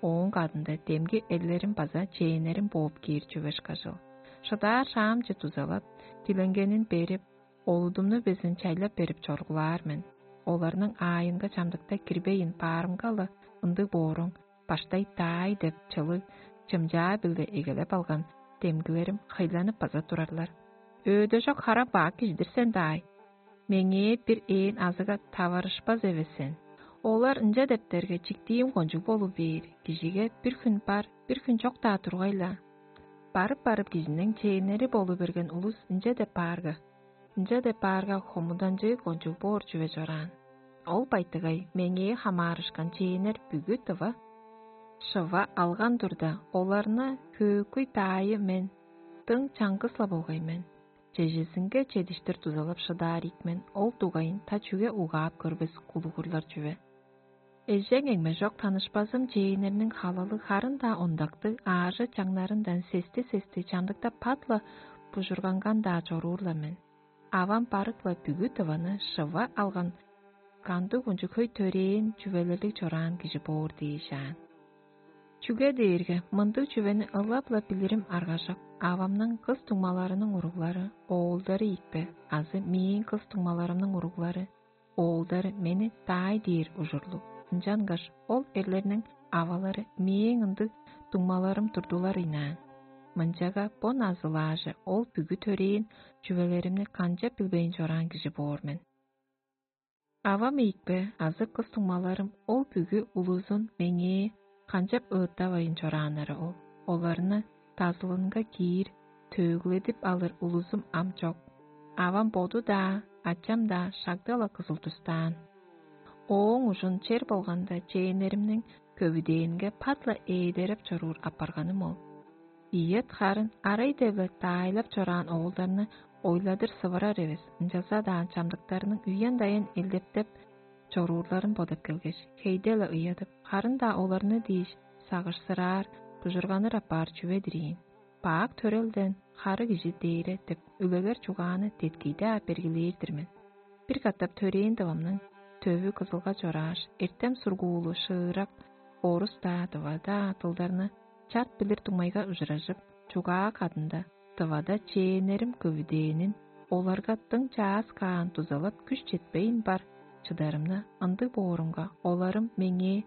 Ооң кадында демги эрлерим база чээннерим бооп кээр чүве ышкажыл. Шыдаар шаамче дузалап, диленгенин берип, олудумну безин чайлап берип чоргулаар мен. Оларның аайынга чамдыкта кирбейн баарымга-ла ындыг бооруң, баштай даай деп чылыг чымчаа-биле эгелеп алган демгилерим хыйланып база турарлар: «Өөдөжок хара бак кижи-дир сен даай. Меңээ бир ээн азыга таварышпас эвес сен». Олар ынча дептерге, чиктиим кончуг болуп бээр, кижиге бир хүн бар, бир хүн чок-даа тургай-ла. Барып-барып кижиниң чээннери болу берген улус ынча деп баарга: Ынча деп баарга хомуданчыы кончуг боор чүве чораан. Ол байтыгай меңээ хамаарышкан чээннер бүгү тыва шыва алган турда, оларны хөөкүй даайы мен дың чаңгыс-ла болгай мен. Чежезинге чедиштир дузалап шыдаар ийик мен, ол дугайын та чүге угаап көрбес кулугурлар чүве. Эжең эңмежок танышпазым чээннерниң халалы харын-даа ондактыг аажы чаңнарындан сести-сести чамдыкта пат-ла бужурганган-даа чоруур-ла мен. Авам барык-ла бүгү тываны шыва алган кандыг-унчуг хөй төрээн чүвелерлиг чораан кижи боор дээш аан. Чүге дээрге мындыг чүвени ылап-ла билирим аргажок, авамның кыс дуңмаларының уруглары, оолдары ийикпе азы мээң кыс дуңмаларымның уруглары, оолдары мени даай дээр ужурлуг, ынчангаш ол эрлерниң авалары мээң ындыг дуңмаларым турдулар ыйнаан. Мынчага бо назылааже ол бүгү төрээн чүвелеримни канчап билбейн чораан кижи боор мен. Авам ийикпе азы кыс дуңмаларым ол бүгү улузун меңээ канчап ыыттавайн чорааннары ол. Оларны дазылынга киир, төөгледип алыр улузум ам чок. Авам боду-даа, ачам-даа шагда-ла кызыл тустаан. Ооң ужун чер болганда чээннеримниң көвүдээнге пат-ла ээдереп чоруур апарганым ол. Ийет харын арай-деве даайлап чораан оолдарны ойладыр сывырар эвес, ынчалза-даа чамдыктарының үен-даян элдептеп чоруурларын бодап келгеш, хейде-ле ыядып, харын-даа оларны дээш сагышсыраар, бужурганыр апаар чүве-дир ийин. Бак төрелден хары кижи дээре деп үлегер чугааны деткийде-аа бергилээр-дир мен. Бир катап төрээн дывамның төвү кызылга чорааш, эртем сургуулу шыырак орус-даа, дыва-даа дылдарны чарт билир дуңмайга ужуражып, чугаа кадында дывада чээннерим көвүдээнин, оларга дың чаас каан дузалап күш четпейн бар чыдарымны, ындыг боорумга, оларым меңээ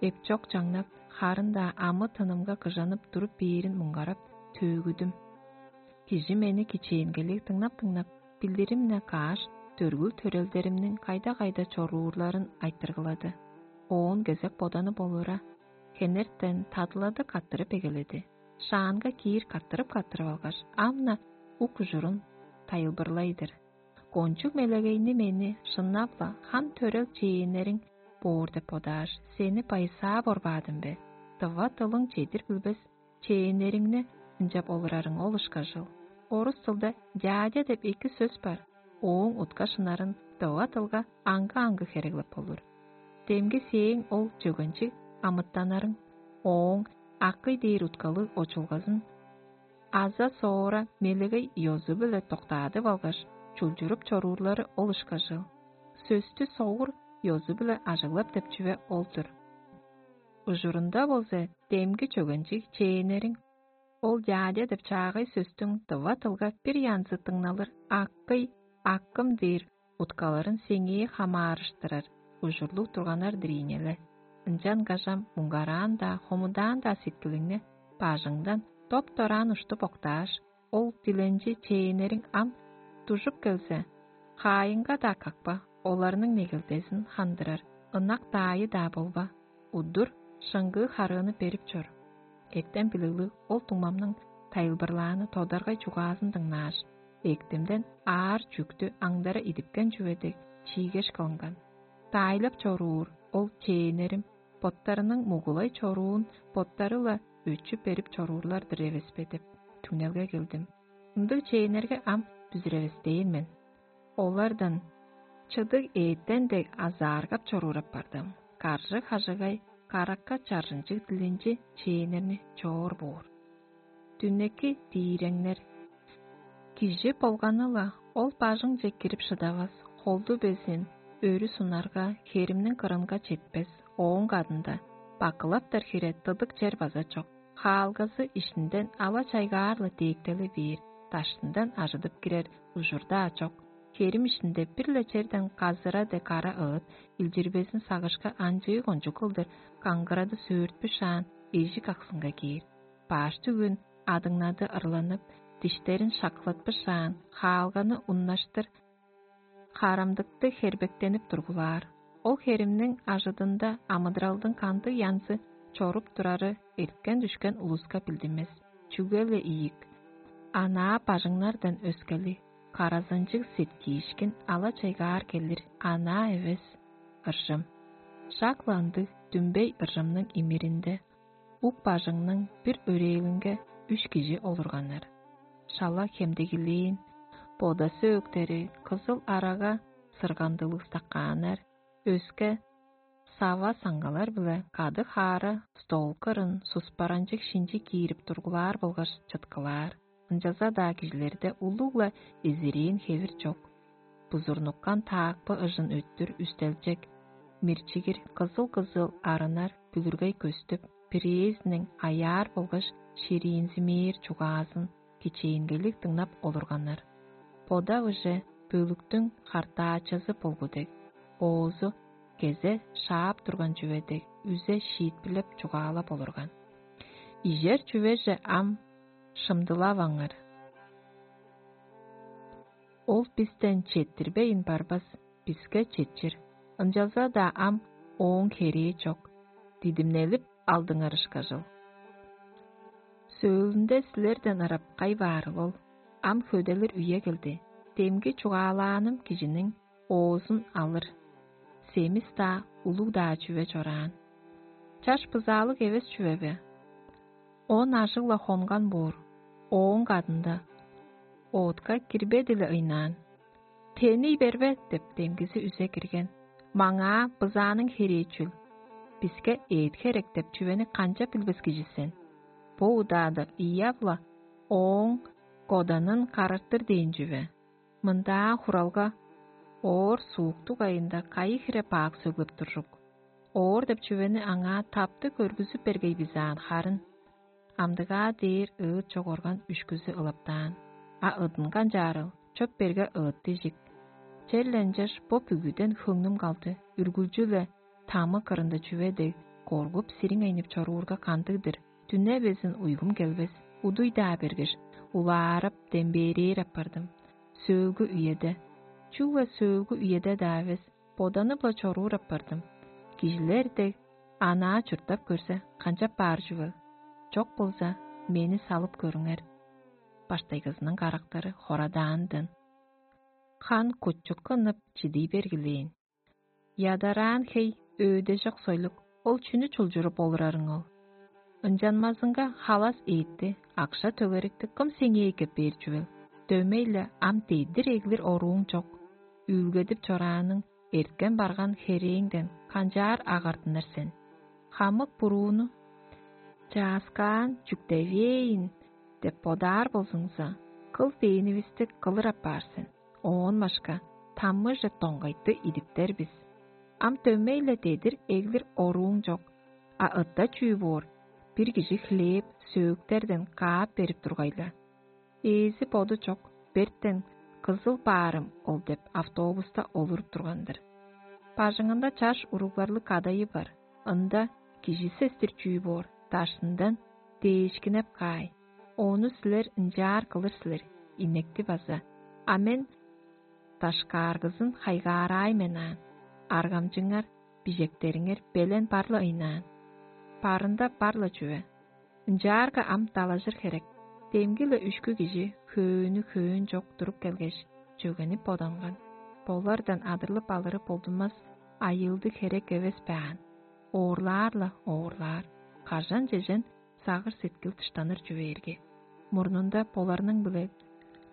эпчок чаңнап, харын-даа амы-тынымга кыжанып туруп бээрин муңгарап, төөгүдүм. Кижи мени кичээнгелиг дыңнап-дыңнап, билдирим-не кааш, дөргүл-төрелдеримниң кайда-кайда чоруурларын айтыргылады. Оон кезек боданы болура, хенертен тадылады каттырып эгеледи. Шаанга киир каттырып-каттырып алгаш, ам-на ук ужурун тайылбырлай-дыр. Кончуг мелегейни мени шыннап-ла хан төрел чээннериң боор деп бодааш, сени байысаа борбаадым бе? Дыва дылың чедир билбес чээннериңни ынчап олурарың ол ышкажыл. Орус дылда «дядя» деп эки сөс бар. Ооң утка шынарын дыва дылга аңгы-аңгы хереглеп болур. Демги сээң ол чөгенчиг амытанарың ооң акый дээр уткалыг очулгазын аза соора мелегей ёзу-биле доктаадып алгаш, чулчуруп чоруурлары ол ышкажыл. Сөстү согур ёзу-биле ажыглап деп чүве ол-дур. Ужурунда болза демги чөгенчиг чээннериң ол «дядя» деп чаагай сөстүң дыва дылга бир янзы дыңналыр «аккый», «аккым» дээр уткаларын сеңээ хамаарыштырар ужурлуг турганнар-дыр ийин але. Ынчан кажам муңгараан-даа, хомудаан-даа сеткилиңни бажыңдан доп-дораан уштуп октааш, ол диленчи чээннериң ам дужуп келзе, хаайыңга-даа какпа, оларның негелдезин хандырар ынак даайы-даа болба, удур шыңгыы харыыны берип чор. Эртен билиглиг ол дуңмамның тайылбырлааны тодаргай чугаазын дыңнааш, эктимден аар чүктү аңдара идипкен чүве дег чиигеш кылынган. Даайлап чоруур ол чээннерим боттарының мугулай чоруун боттары-ла өчү берип чоруурлар-дыр эвеспе деп түңнелге келдим. Ындыг чээннерге ам бүзүревестээн мен. Олардан чыдыг эъттен дег азааргап чоруур апардым. Каржы-хажыгай каракка чаржынчыг дилинчи чээннерни чоор боор. Дүнеки дииреңнер. Кижи болганы-ла ол бажыңче кирип шыдавас, холду безин, өрү сунарга, херимниң кырынга четпес, ооң кадында бакылаптар хире тыдык чер база чок. Хаалгазы иштинден ала чайгаар-ла дээктели бээр, даштындан ажыдып кирер ужурдаа чок. Херим иштинде бир-ле черден казыра дег кара ыыт, илчирбезин сагышка анчыы кончуг кылдыр каңгырады сөөртпүшаан эжик аксынга кээр. Баш түгүн адыңнады ырланып, диштерин шакылатпышаан, хаалганы уннаштыр, харамдыкты хербектенип тургулаар. Ол херимниң ажыдында амыдыралдың кандыг янзы чоруп турары эрткен-дүшкен улуска билдинмес. Чүге-ле ийик, анаа бажыңнардан өскели, Каразынчыг сеткиишкин ала-чайгаар келир анаа эвес ыржым. Шак-ла ындыг дүмбей ыржымның имиринде ук бажыңның бир өрээлинге үш кижи олурганнар. Шала хемдегилээн, бодасы өктери кызыл арага сыргандылыг стакааннар, өске сава саңгалар-биле кады хаара стол кырын суспаранчыг шинчи киирип тургулаар болгаш чыткылаар. Ынчалза-даа кижилерде улуг-ла эзирээн хевир чок. Бузурнуккан таакпы ыжын өттүр үстелчек, мирчигир кызыл-кызыл арынар бүлүргей көстүп, бирээзиниң аяар болгаш шириинзимээр чугаазын кичээнгейлиг дыңнап олурганнар. Бода-уже бөлүктүң хартаачызы болгу дег, оозу кезе шаап турган чүве дег үзе шиитпирлеп чугаалап олурган. Ижер чүвеже ам шымдылаваңар. Ол бистен четтирбейн барбас, биске четчир. Ынчалза-даа ам ооң херээ чок. Дидимнелип алдыңар ышкажыл. Сөөлүнде силерден ырап кай баарыл ол? Ам хөделир үе келди. Демги чугаалааным кижиниң оозун алыр. Семис-даа, улуг-даа чүве чораан. Чаш бызаалыг эвес чүве бе? Он ажыг-ла хонган боор, ооң кадында оотка кирбедиле ыйнаан. «Тени бербе» – деп, демгизи үзе кирген. «Маңаа бызааның херээчүл, биске эът херек» – деп чүвени канчап билбес кижи сен? Бо удаада Иав-ла ооң коданын карартыр дээн чүве. Мындаа хуралга оор сууктуг айында кайы хире бак сөглеп туржук? Оор деп чүвени аңаа тапты көргүзүп бергей бизаан харын. Амдыгаа дээр ыыт чогорган үшкүзү ылаптаан, а ыдын канчаарыл чоп берге ыыт дижик. Черле ынчаш бо бүгүден хөңнүм калды, үргүлчү-ле тамы кырында чүве дег коргуп сириңейнип чоруурга кандыг-дыр? Дүне безин уйгум келбес, удуй-даа бергеш, улаарап, дембээрээр аппардым. Сөөлгү үеде, чүгле сөөлгү үеде-даа эвес, боданып-ла чоруур аппардым. Кижилер дег анаа чурттап көрзе, канчап баар чүвел? Чок болза, мени салып көрүңер. Баштайгызының карактары хорадаандан. Хан кутчукка ынып чидий бергилээн. Ядараан хей өөдежок сойлук, ол чүнү чулчуруп олурарың ол? Ынчанмазынга халас ээтти, акша төгерикти кым сеңээ эккеп бээр чүвел? Дөмей-ле ам дедир эглир орууң чок. Үүлгедип чорааның, эрткен барган херээңден канчаар агартыныр сен? Хамык бурууну чааскаан чүктевээн деп бодаар болзуңза, кыл дээнивисти кылыр апаар сен. Оон башка тамыже доңгайты идиптер бис. Ам дөмей-ле дедир эглир орууң чок, а ытта чүү боор, бир кижи хлеб, сөөктерден каап берип тургай-ла. Ээзи боду чок, бертен кызыл баарым ол деп автобуста олуруп турган-дыр. Бажыңында чаш уругларлыг кадайы бар. Ында кижи сестир чүү боор, даштындан дээшкинеп каай. Ону силер ынчаар кылыр силер, инекти база. А мен дашкааргызын хайгаараай мен аан. Аргамчыңар, бижектериңер белен бар-ла ыйнаан. Барында бар-ла чүве. Ынчаарга ам далажыр херек. Демги-ле үшкү кижи хөөнү хөөн чок туруп келгеш, чөгенип боданган. Болардан адырлып алыры болдунмас айыылдыг херек эвес бе аан? Оорлаар-ла оорлаар. Кажан чежен сагыр-сеткил дыштаныр чүвээрге. Мурнунда боларның-биле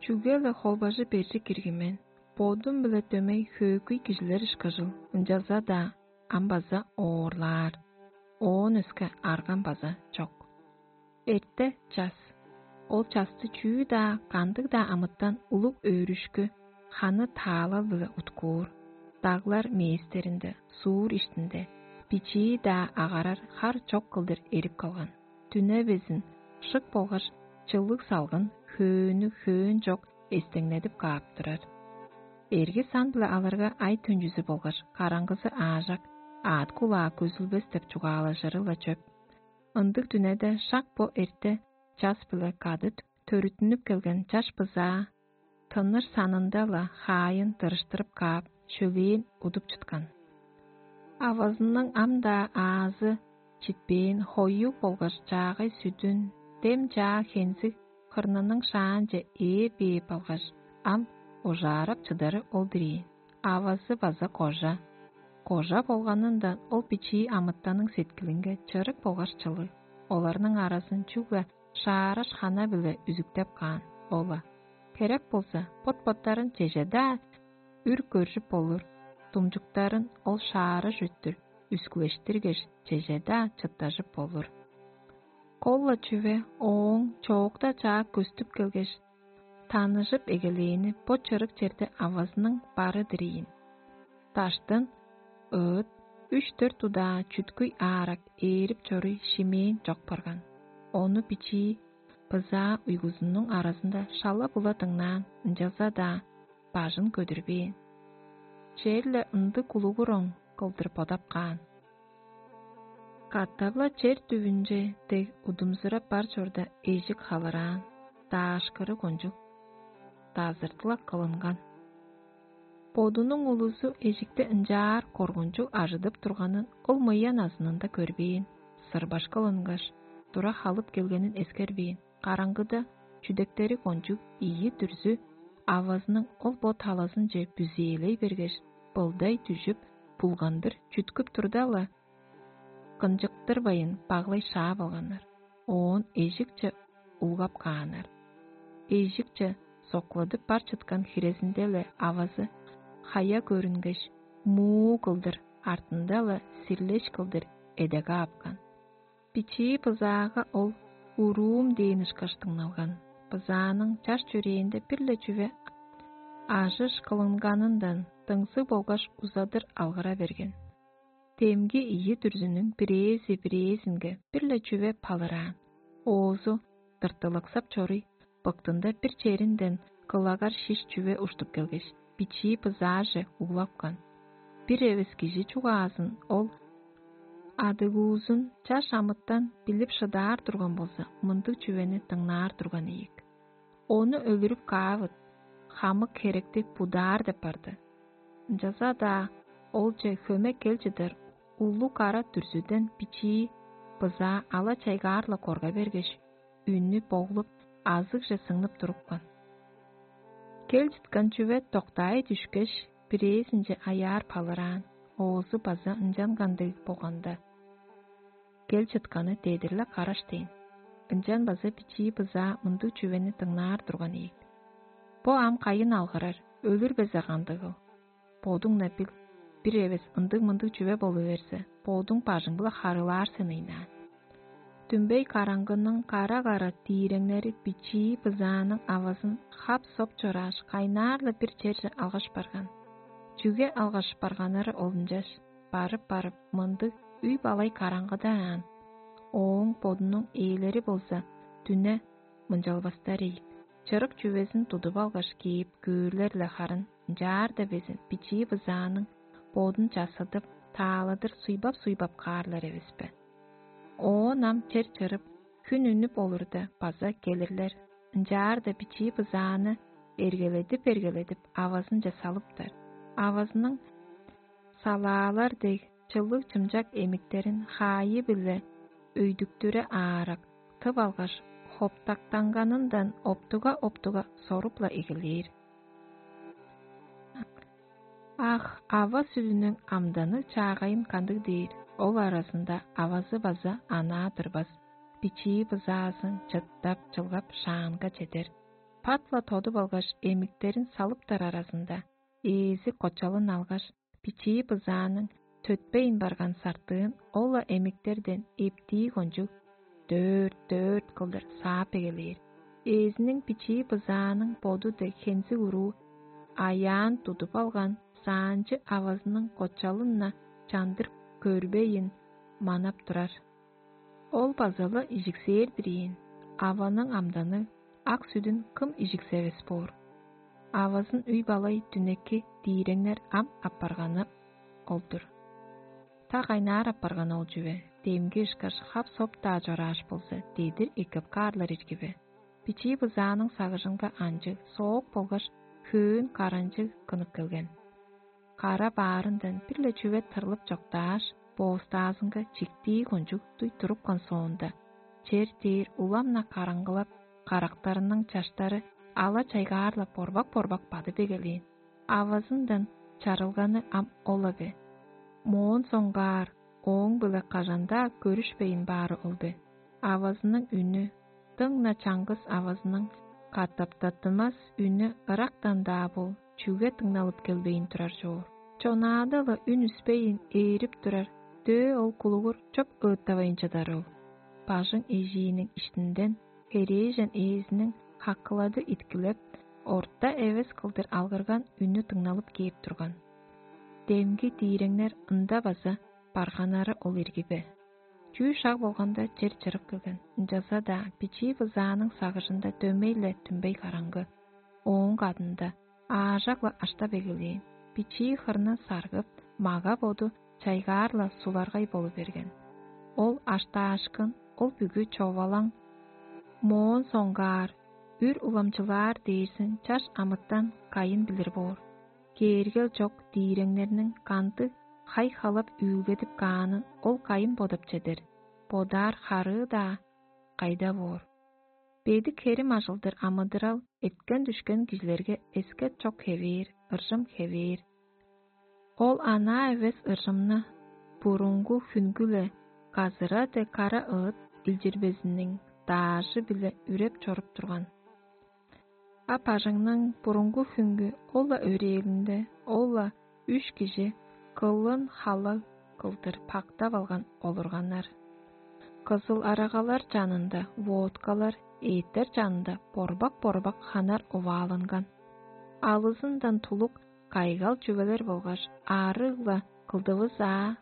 чүге-ле холбажы бержик киргин мен, бодум-биле дөмей хөөгүй кижилер ышкажыл, ынчалза-даа ам база оорлаар. Оон өске аргам база чок. Эрте час. Ол часты чүү-даа, кандыг-даа амытан улуг өөрүшкү, ханы таалал-биле уткуур. Даглар мээстеринде, суур иштинде, бичии-даа агарар хар чок кылдыр эрип калган. Дүне безин шык болгаш чылыг салгын хөөнү хөөн чок эстеңнедип каап турар. Эрги сан-биле алырга ай төнчүзү болгаш караңгызы аажак, аът кулаа көзүлбес деп чугаалажыры-ла чөп. Ындыг дүнеде шак бо эрте час-биле кады төрүттүнүп келген чаш бызаа тынныр санында-ла хаайын тырыштырып каап, шөлээн удуп чыткан. Авазының ам-даа аазы читпээн хоюг болгаш чаагай сүдүн, дем чаа хензиг хырнының шаанче ээр бээп алгаш, ам ужаарап чыдары ол-дур ийин. Авазы база кожа. Кожа болганындан ол бичии амытанның сеткилинге чырык болгаш чылыг, оларның аразын чүгле шаараш хана-биле үзүктеп каан. Ол-ла, херек болза, бот-боттарын чеже-даа үр көржүп болур, думчуктарын ол шаараш өттүр үскүлештиргеш, чеже-даа чыттажып болур. Кол-ла чүве ооң чоокта чаа көстүп келгеш, таныжып эгелээни бо чырык черде авазының бары-дыр ийин. Даштын ыыт үш-дөрт удаа чүткүй аарак ээрип чоруй шимээн чок барган. Ону бичии бызаа уйгузунуң аразында шала-була дыңнаан, ынчалза-даа бажын көдүрбээн. Черле ындыг кулугур оң кылдыр бодап каан. Катап-ла чер дүвүнче дег удумзурап бар чорда эжик халыраан, даашкыры кончуг дазыртылак кылынган. Бодунуң улузу эжикти ынчаар коргунчуг ажыдып турганын ол мыян азынында көрбээн, сырбашкы ылынгаш, тура халып келгенин эскербээн, караңгыда чүдектери кончуг ийи дүрзү авазының ол бо талазынче бүзээлей бергеш, былдай дүжүп, булгандыр чүткүп турда-ла, кынчыктырбайн баглай шаап алганнар. Оон эжикче улгап кааннар. Эжикче сокладып бар чыткан хирезинде-ле авазы хая көрүнгеш, муу кылдыр, артында-ла сирлеш кылдыр эде каапкан. Бичии бызаага ол «уруум» дээн ышкаш дыңналган. Бызааның чаш чөрээнде бир-ле чүве ажыш кылынганындан дыңзыг болгаш узадыр алгыра берген. Демги ийи дүрзүнүң бирээзи бирээзинге бир-ле чүве палыраан, оозу дыртылыксап чоруй, быктында бир черинден кылагар шиш чүве уштуп келгеш, бичии бызааже углапкан. Бир эвес кижи чугаазын ол адыгуузун чаш амытан билип шыдаар турган болза, мындыг чүвени дыңнаар турган ийик. Ону өлүрүп каавыт, хамык херекти будаар деп барды. Ынчалза-даа олче хөме кел чыдар улуг кара дүрзүден бичии бызаа ала-чайгаар-ла корга бергеш, үннү боглуп, азыгже сыңнып турупкан. Кел чыткан чүве доктаай дүшкеш, бирээзинче аяар палыраан, оозу база ынчанган дег болганда, кел чытканы дедир-ле караш дээн. Ынчан база бичии бызаа мындыг чүвени дыңнаар турган ийик: «Бо ам кайын алгырар, өлүр безе кандыгыл? Бодуң-на бил, бир эвес ындыг-мындыг чүве болу берзе, бодуң бажың-биле харыылаар сен ыйнаан». Дүмбей караңгының кара-кара тииреңнери бичии бызааның авазын хап-соп чорааш, кайнаар-ла бир черже алгаш барган. Чүге алгаш барганнары ол ынчаш, барып-барып, мындыг үй-балай караңгыда аан, ооң бодунуң ээлери болза дүне мынчалбастар ийик. Чырык чүвезин тудуп алгаш кээп көөр-ле харын, ынчаар-даа безин бичии бызааның бодун чассыдып, тааладыр суйбап-суйбап каарлар эвес бе? Оон ам чер чырып, хүн үнүп олурда, база келирлер. Ынчаар-даа бичии бызааны эргеледип-эргеледип, авазынче салыптар. Авазының салаалар дег чылыг-чымчак эмиктерин хаайы-биле өйдүктүре аарак тып алгаш, хоптактанганындан оптуга-оптуга соруп-ла эгелээр. Ах, ава сүдүнүң амданы чаагайын кандыг дээр, ол аразында авазы база анаа турбас, бичии бызаазын чыттап-чылгап шаанга чедер. Пат-ла тодуп алгаш, эмиктерин салыптар аразында, ээзи кочалын алгаш, бичии бызааның төтпейн барган сартыын ол-ла эмиктерден эптии кончуг дөрт-дөрт кылдыр саап эгелээр. Ээзиниң бичии бызааның боду дег хензиг уруу аяан тудуп алган саанчы авазының кочалын-на чандыр көрбейн манап турар. Ол база-ла ижиксээр-дир ийин, аваның амданныг ак сүдүн кым ижиксевес боор? Авазын үй-балай дүнеки дииреңнер ам апарганы ол-дур. Та кайнаар апарганы ол чүве, демги ышкаш хап-соп-даа чорааш болза, дедир эккеп каарлар ирги бе? Бичии бызааның сагыжынга анчыг соок болгаш хөөн каранчыг кынып келген. Кара баарындан бир-ле чүве тырлып чоктааш, боостаазынга чиктии кончуг дуй турупкан соонда, чер дээр улам-на караңгылап, карактарының чаштары ала-чайгаар-ла борбак-борбак бадып эгелээн. Авазындан чарылганы ам ол-ла бе? Моон соңгаар ооң-биле кажан-даа көрүшпейн баары ол бе? Авазының үнү, дыңна чаңгыс авазының катаптаттынмас үнү ырактан-даа бол чүге дыңналып келбейн турар чоор? Чонаада-ла үн үспейн ээрип турар дөө ол кулугур чоп ыыттавайн чыдар ол. Бажың эжииниң иштинден херээжен ээзиниң хакылады иткилеп, орта эвес кылдыр алгырган үнү дыңналып кээп турган. Демги дииреңнер ында база барганнары ол ирги бе? Чүү шаг болганда чер чырып келген, ынчалза-даа бичии бызааның сагыжында дөмей-ле түмбей караңгы. Ооң кадында аажак-ла аштап эгелээн, бичии хырны саргып, мага-боду чайгаар-ла суларгай болу берген. Ол аштаашкын, ол бүгү човалаң, моон соңгаар үр уламчылаар дээрзин чаш амытан кайын билир боор. Кээргел чок дииреңнерниң кандыг хай-халап үүлгедип каанын ол кайын бодап чедер, бодаар харыы-даа кайда боор. Бедик херим ажылдыр амыдырал эткен-дүшкен кижилерге эскет чок хевээр, ыржым хевээр. Ол анаа эвес ыржымны бурунгу хүнгү-ле газыра дег кара ыыт илчирбезиниң даажы-биле үреп чоруп турган. А бажыңның бурунгу хүнгү ол-ла өрээлинде ол-ла үш кижи кылын халаг кылдыр пактап алган олурганнар. Кызыл арагалар чанында водкалар, эъттер чанында борбак-борбак ханар оваалынган. Алызындан тулук кайгал чүвелер болгаш аарыг-ла кылдывыс аа,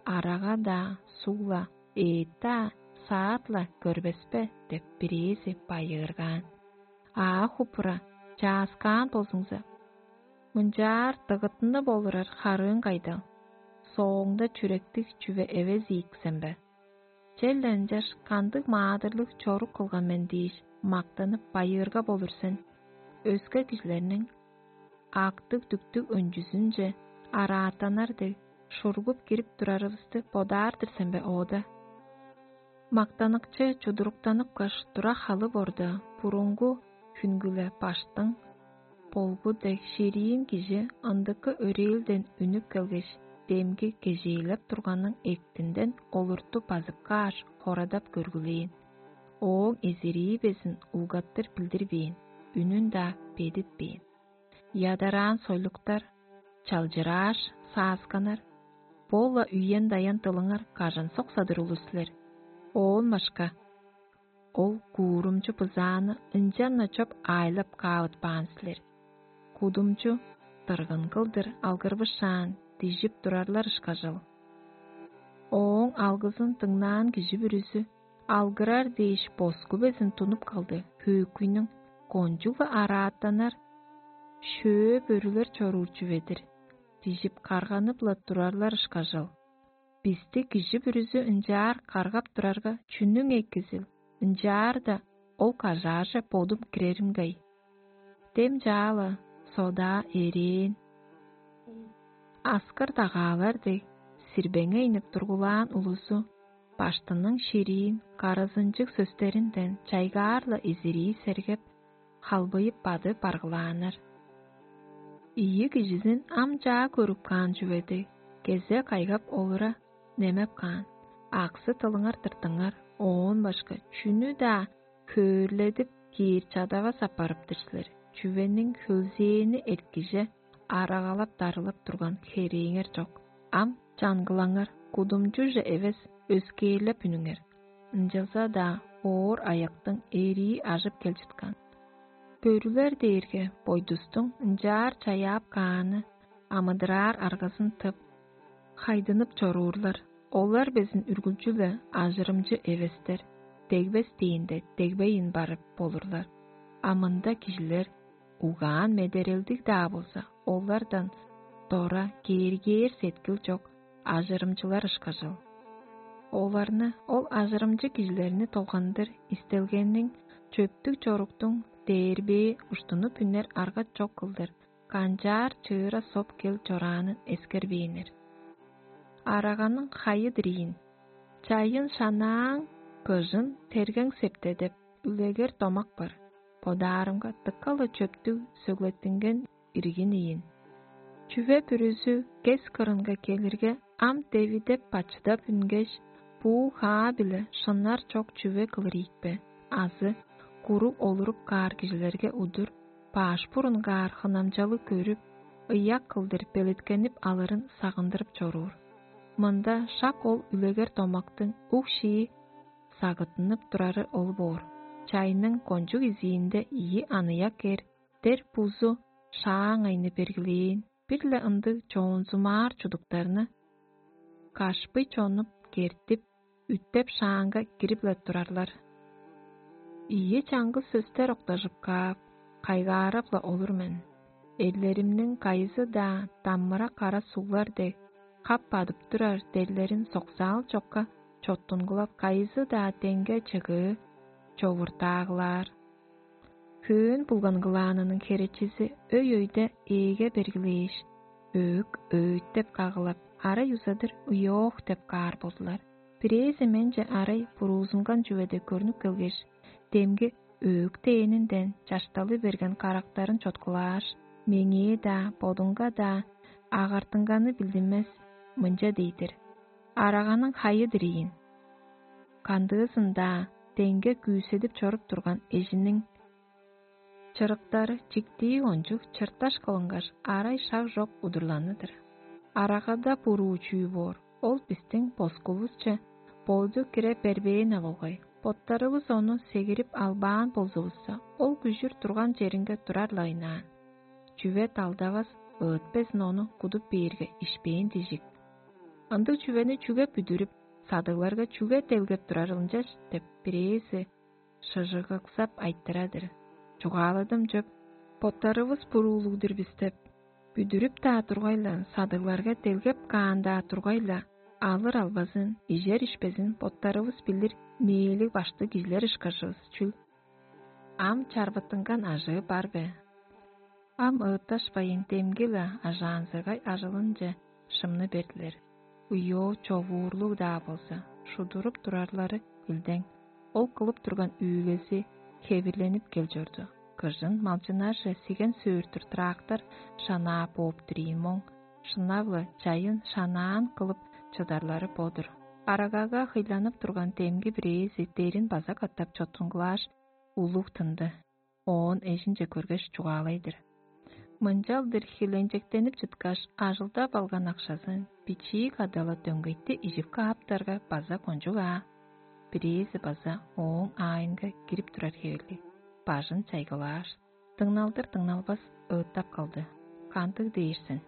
арага-даа, суг-ла, эът-даа, саат-ла көрбес бе деп бирээзи байыыргаан. Аа хупура, чааскаан болзуңза, мынчаар дыгытынып олурар харыың кайдал? Сооңда чүректиг чүве эвес ийик сен бе? Черле ынчаш кандыг маадырлыг чорук кылган мен дээш, мактанып байыырга болур сен. Өске кижилерниң актыг-дүктүг өнчүзүнче араатанар дег, шургуп кирип турарывысты бодаар-дыр сен бе оода? Мактаныкчы чудуруктаныпкаш, тура халып орда, бурунгу хүнгүле баштың болгу дег шириин кижи ындыкы өрээлден үнүп келгеш, демги кежээлеп турганның эктинден олурту базып кааш, хорадап көргүлээн. Ооң эзирии безин улгаттыр билдирбээн, үнүн-даа бедитпээн. Ядараан сойлуктар, чалчырааш, саасканнар, бо-ла үен-даян дылыңар кажан соксадыр улус силер. Оон башка, ол куурумчу бызааны ынчан-на чоп аайлап каавытпаан силер. Кудумчу дыргын кылдыр алгырбышаан, дижип турарлар ышкажыл. Ооң алгызын дыңнаан кижи бүрүзү алгырар дээш боску безин тунуп калды, хөөкүйнүң кончуг-ла араатанар шөө бөрүлер чоруур чүве-дир, дижип карганып-ла турарлар ышкажыл. Бисти кижи бүрүзү ынчаар каргап турарга, чүнүң экизил, ынчаар-даа ол кажааже бодум киреримгей? Дем чаа-ла содаа эрээн, аскыр дагаалар дег, сирбеңейнип тургулаан улузу баштының шириин карызынчыг сөстеринден чайгаар-ла изирии сергеп, халбыйып бады баргылааннар. Ийи кижизин ам чаа көрүп каан чүве дег, кезе кайгап олура немеп каан. Аксы тылыңар тыртыңар, оон башка чүнү-даа хөөрледип киир чадавас аппарып-тыр силер. Чүвениң хөлзээни эрткиже арагалап-дарылап турган херээңер чок. Ам чаңгылаңар, кудумчуже эвес, өскээрлеп үнүңер. Ынчалза-даа оор аяктың эрии ажып кел чыткан. Бөрүлер дээрге бойдустуң ынчаар чаяап кааны амыдыраар аргазын тып, хайдынып чоруурлар. Олар безин үргүлчү-ле ажырымчы эвестер, дегбес дээнде дегбейн барып болурлар. А мында кижилер угаан-медерелдиг-даа болза, олардан дора кээргээр сеткил чок ажырымчылар ышкажыл. Оларны ол ажырымчы кижилерни долгандыр истелгениң чөптүг чоруктуң дээрбээ уштунуп үнер арга чок кылдыр канчаар чыыра соп кел чораанын эскербээннер. Араганың хайы-дыр ийин, чайын шанааң, кыжын тергең септе деп үлегер домак бар. Бодаарымга дыка-ла чөптүг сөглеттинген иргин ийин. Чүве бүрүзү кес кырынга келирге, ам девидеп бачыдап үнгеш, буу хаа-биле шыннар чок чүве кылыр ийикпе, азы куруг олуруп каар кижилерге удур баш бурунгаар хынамчалыг көрүп, ыяк кылдыр белеткенип алырын сагындырып чоруур. Мында шак ол үлегер домактың уг шии сагыттынып турары ол боор. Чайның кончуг изиинде ийи аныяк эр дер бузу шааңайны бергилээн, бир-ле ындыг чоонзумаар чудуктарны кашпый чонуп кертип, үттеп шааңга кирип-ле турарлар. Ийи чаңгыс сөстер октажып каап, кайгаарап-ла олур мен. Эрлеримниң кайызы-даа даммыра кара суглар дег, кап бадып турар дерлерин соксаал чокка чоттунгулап, кайызы-даа деңге чыгыы човуртаагылаар. Хөөн булган кылаанының херечизи өй-өйде ээге бергилээш, өөк өөйтеп кагылап, арай узадыр уйоох деп каар болдулар. Бирээзи менче арай буруузунган чүведе көрнүп келгеш, демги өөктээнинден чашталы берген карактарын чоткулааш, меңээ-даа, бодунга-даа агартынганы билдинмес, мынча дей-дир: «Араганың хайы-дыр ийин». Кандыызын-даа деңге күүседип чоруп турган эжиниң чырыктары чиктии ончуг чырташ кылынгаш, арай шак чок удурланы-дыр. Арагада буруу чүү боор, ол бистиң боскувусче боду кире бербээн-не болгай. Боттарывыс ону сегирип албаан болзувусса, ол күжүр турган черинге турар-ла ыйнаан. Чүве далдавас, ыытпезин ону кудуп бээрге, ишпээн дижик. Ындыг чүвени чүге бүдүрүп, садыгларга чүге делгеп турар ынчаш деп бирээзи шыжыгыксап айтырар-дыр. Чугааладым чөп, боттарывыс буруулуг-дур бис деп, бүдүрүп-даа тургай-ла, садыгларга делгеп каан-даа тургай-ла, алыр албазын, ижер ишпезин боттарывыс билир мээлиг баштыг кижилер ышкажывыс чүл. Ам чарбыттынган ажыы бар бе? Ам ыытташпайн, демги-ла ажаанзыргай ажылынче шымны бердилер. Уйоо човуурлуг-даа болза, шудуруп турарлары илдең. Ол кылып турган үүлези хевирленип кел чорду. Кыжын малчыннарже сиген сөөртүр трактор шанаа бооп-тур ийин моң, шынап-ла чайын шанаан кылып чыдарлары бо-дур. Арагага хыйланып турган демги бирээзи дерин база катап чоттунгулааш, улуг тынды. Оон эжинче көргеш, чугаалай-дыр: «Мынчалдыр хиленчектенип чыткаш, ажылдап алган акшазын бичии кадала дөңгейти ижип кааптарга база кончуг аа». Бирээзи база ооң аайынга кирип турар хевирлиг, бажын чайгылааш, дыңналдыр-дыңналбас ыыттап калды: «Кандыг дээр сен?»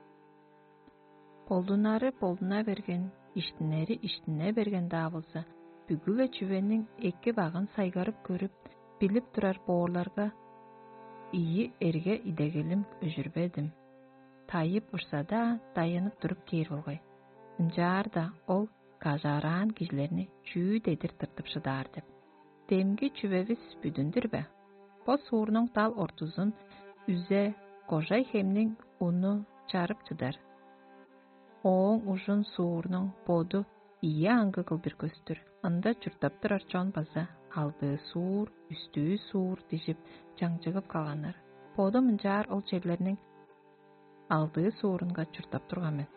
Болдунары болдуна берген, иштинери иштине берген-даа болза, бүгү-ле чүвениң эки-багын сайгарып көрүп, билип турар боорларга ийи эрге идегелим өжүрбедим. Тайып урсада, даянып туруп кээр болгай. Ынчаарда ол кажаараан кижилерни чүү дедир тыртып шыдаар деп. Демги чүвевис бүдүн-дүр бе? Бо суурнуң дал ортузун үзе, кожай хемниң уну чарып чыдар. Ооң ужун суурнуң боду ийи аңгы кылдыр көстүр. Ында чурттап турар чон база алдыы суур, үстүү суур дижип, чаңчыгып калганнар. Бодум ынчаар ол черлерниң алдыы суурунга чурттап турган мен.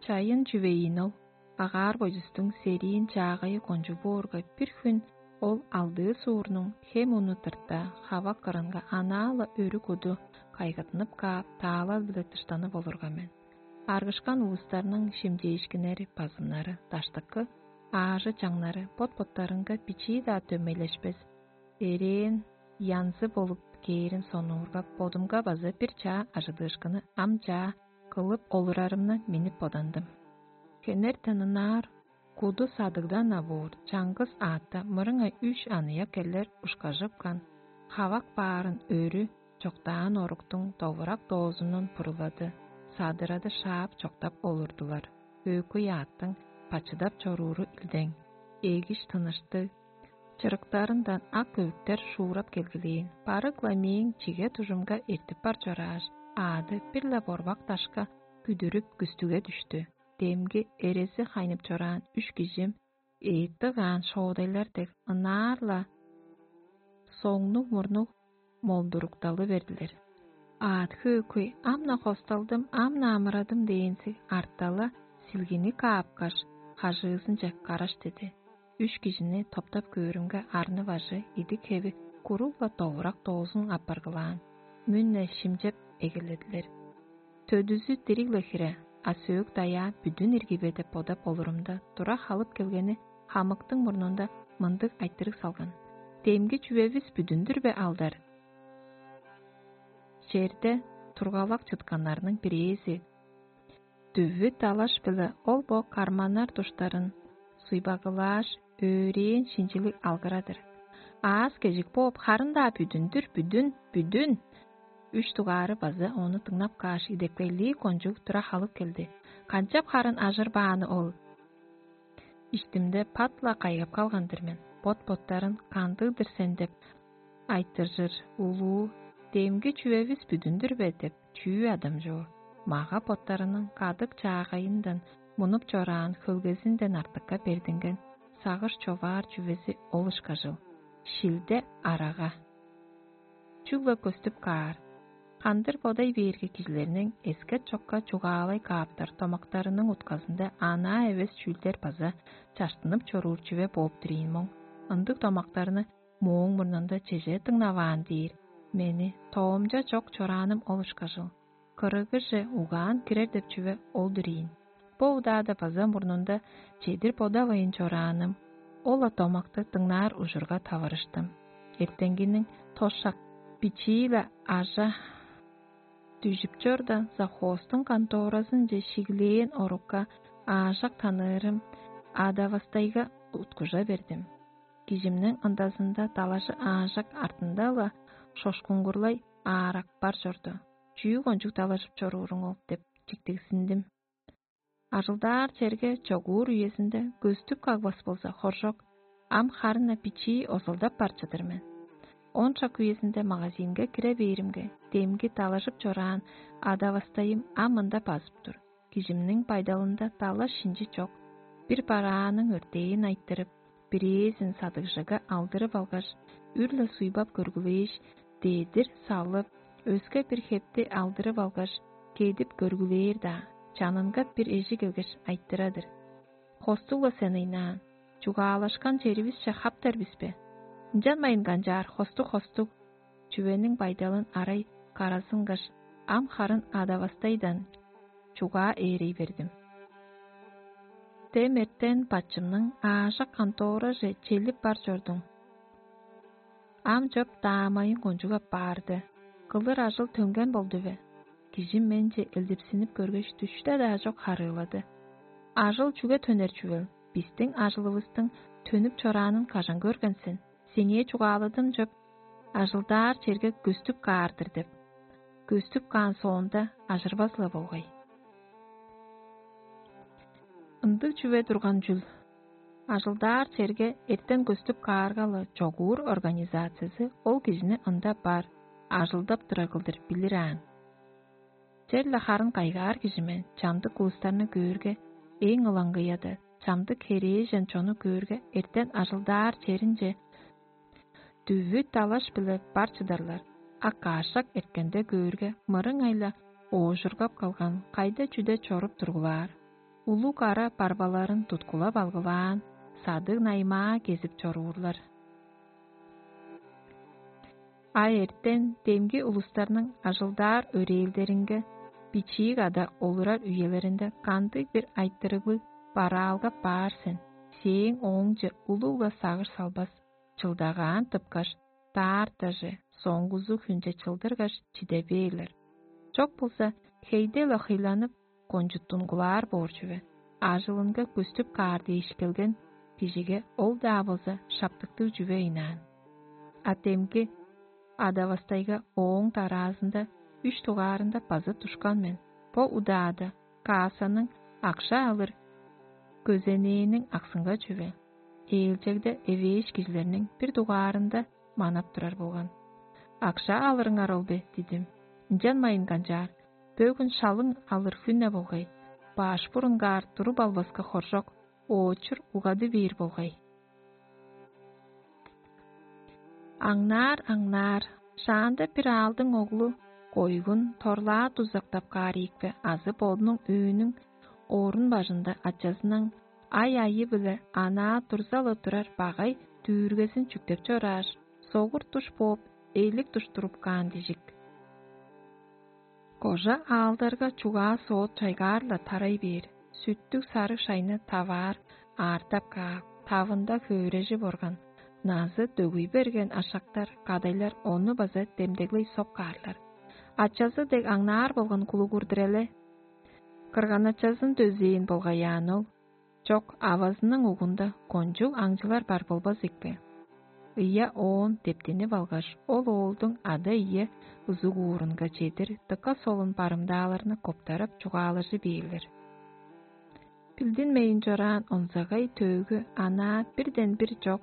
Чайын чүвейин ол, агаар бойдустуң сериин чаагайы кончуг боорга, бир хүн ол алдыы суурнуң хем уну тырта, хавак кырынга анаа-ла өрү куду кайгаттынып каап, таалал-биле дыштанып олурган мен. Аргышкан улустарның шимчээшкиннери, базымнары, даштыкы аажы-чаңнары бот-боттарынга бичии-даа дөмейлешпес, эрээн янзы болуп кээрин сонуургап, бодумга база бир чаа ажыдыышкыны ам чаа кылып олурарымны миннип бодандым. Хенертен ынаар куду садыгдан авуур чаңгыс аътта мырыңай үш аныяк эрлер ушкажыпкан, хавак баарын өрү чоктаан оруктуң довурак доозунун пурулады, садырады шаап чоктап олурдулар. Өөкүй аъттың бачыдап чорууру илдең, эгиш тыныштыг, чырыктарындан ак өвүктер шуурап келгилээн. Барык-ла мээң чиге дужумга эртип бар чорааш, аъды бир-ле борбак дашка күдүрүп күстүге дүштү. Демги эрези хайнып чораан үш кижим эътти каан шоодайлар дег ынаар-ла соңнуг-мурнуг молдурукталы бердилер. Аът хөөкүй: «Ам-на хосталдым, ам-на амырадым» дээнзиг артала силгини каапкаш, хажыызынче караш деди. Үш кижини топтап көөрүмге, арны-бажы, идик-хеви куруг-ла довурак доозун апаргылаан, мүн-не шимчеп эгеледилер. Төдүзү дириг-ле хире, а сөөк-даяа бүдүн ирги бе деп бодап олурумда, тура халып келгени хамыктың мурнунда мындыг айтырыг салган: «Демги чүвевис бүдүн-дүр бе, алдар?» Черде тургалак чытканнарның бирээзи: «Дүвү далаш-биле ол бо карманнар душтарын суйбагылааш, өөрээн шинчилиг алгырадыр. Аас-кежик бооп, харын-даа бүдүн-дүр, бүдүн, бүдүн!» Үш дугаары база ону дыңнап кааш, идепкейлиг кончуг тура халып келди: «Канчап харын ажырбааны ол?» Иштимде пат-ла кайгап калган-дыр мен. Бот-боттарын: «Кандыг-дыр сен?» — деп айтыржыр улуу: «Демги чүвевис бүдүн-дүр бе?» — деп чүү адамчуу. Мага-боттарының кадык-чаагайындан мунуп чораан хөлгезинден артыкка бердинген сагыш човаар чүвези ол ышкажыл: шилде арага. Чүгле көстүп каар. Кандыр бодай бээрге, кижилерниң эскет-чокка чугаалай кааптар домактарының утказында анаа эвес чүүлдер база чаштынып чоруур чүве бооп-тур ийин моң. Ындыг домактарны мооң мурнунда чеже дыңнаваан дээр, мени тоомча чок чорааным ол ышкажыл. Кырыгыже угаан кирер деп чүве ол-дур ийин. Бо удаада база мурнунда чедир бодавайн чорааным, ол-ла домакты дыңнаар ужурга таварыштым. Эртенгиниң тос шак бичии-ле ажа дүжүп чорда, завхоздуң конторазынче шиглээн орукка аажак таныырым Адавастайга уткужа бердим. Кижимниң ындазында далажы аажак артында-ла шошкуңгурлай аарак бар чорду. «Чүү кончуг далажып чорууруң ол?» — деп чиктигзиндим. «Ажылдаар черге чогуур үезинде көстүп кагбас болза, хоржок, ам харын-на бичии озалдап бар чыдыр мен. Он шак үезинде магазинге кире бээримге, демги далажып чораан Адавастайым ам мында базып тур. Кижимниң байдалында далаш-шинчи чок. Бир барааның өртээн айтырып, бирээзин садыгжыга алдырып алгаш, үр-ле суйбап көргүлээш, дедир салып, өске бир хепти алдырып алгаш, кедип көргүлээр-даа, чанынга бир эжи келгеш, айтырар-дыр: „Хостуг-ла сен ыйнаан, чугаалашкан черивисче хаптар бис бе?“ Ынчанмайн канчаар, хостуг, хостуг». Чүвениң байдалын арай каразынгаш, ам харын Адавастайдан чугаа ээрей бердим. Дем эртен бачымның аажак контораже челип бар чордуң. Ам чоп даамайын кончуг аппаарды. Кылыр ажыл төнген болду бе? Кижи менче элдипсинип көргеш, дүште-даа чок харыылады: «Ажыл чүге төнер чүвел? Бистиң ажылывыстың төнүп чораанын кажан көрген сен? Сеңээ чугааладым чоп, ажылдаар черге көстүп каар-дыр деп. Көстүп каан соонда, ажырбас-ла болгай». Ындыг чүве турган чүл. Ажылдаар черге эртен көстүп каарга-ла, чогуур организациязы ол кижини ында бар, ажылдап турар кылдыр билир аан. Черле харын кайгаар кижи мен, чамдык улустарны көөрге, эң ылаңгыя-даа, чамдык херээжен чонну көөрге, эртен ажылдаар черинче дүвү-далаш-биле бар чыдарлар, а каш шак эрткенде көөрге, мырыңай-ла оожургап калган, кайда-чүде чоруп тургулаар, улуг ара барбаларын туткулап алгылаан, садыг-наймаа кезип чоруурлар. А эртен демги улустарның ажылдаар өрээлдеринге, бичии када олурар үелеринде кандыг-бир айтырыглыг бараалгап баар сен, сээң ооңче улуг-ла сагыш салбас, чылдагаан тыпкаш, даартаже, соңгузу хүнче чылдыргаш, чиде бээрлер. Чок болза, хейде-ле хыйланып, кончуттунгулаар боор чүве. Ажылынга көстүп каар дээш келген кижиге ол-даа болза шаптыктыг чүве ыйнаан. А демги Адавастайга ооң дараазында үш дугаарында база душкан мен. Бо удаада кассаның акша алыр көзенээниң аксынга чүве. Ээлчегде эвээш кижилерниң бир дугаарында манап турар болган. «Акша алырыңар ол бе?» — дидим. «Ынчанмайн канчаар, бөгүн шалың алыр хүн-не болгай. Баш бурунгаар туруп албаска хоржок, оочур угады бээр болгай». Аңнаар-аңнаар, Шаанда бир аалдың оглу койгун торлаа дузактап каар ийикпе азы бодунуң өөнүң оорун бажында ачазының ай-айы-биле анаа турзалы турар багай дүүргезин чүктеп чорааш, согур душ бооп, эйлик душтуруп каан дижик. Кожа аалдарга чугаа соот чайгаар-ла тарай бээр, сүттүг сарыг шайны таваар, аартап каап, тавында хөөрежип орган, назы дөгүй берген ашактар, кадайлар ону база демдеглей соп каарлар. Ачазы дег аңнаар болган кулугурдур эле. Кырган-ачазын дөзээн болгаяан ол. Чок, авазының угунда кончуг аңчылар бар болбас ийикпе? Ыя оон дептинип алгаш, ол оолдуң ада-ие узугуурунга чедир дыка солун барымдааларны коптарап чугаалажы бээрлер. Билдинмейн чораан онзагай төөгү анаа бирден-бир чок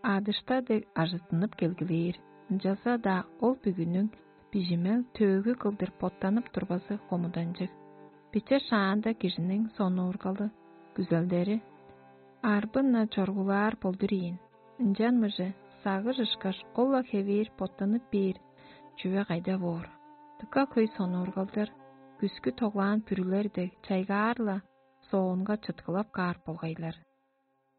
адышта дег ажыттынып келгилээр. Ынчалза-даа ол бүгүнүң бижимел төөгү кылдыр боттанып турбазы хомуданчыг. Биче шаанда кижиниң сонуургалы, күзелдери арбын-на чоргулаар болдур ийин. Ынчан мыже сагыш ышкаш ол-ла хевээр боттанып бээр чүве кайда боор? Дыка хөй сонуургалдар күскү тоглаан бүрүлер дег чайгаар-ла соонга чыткылап каар болгайлар.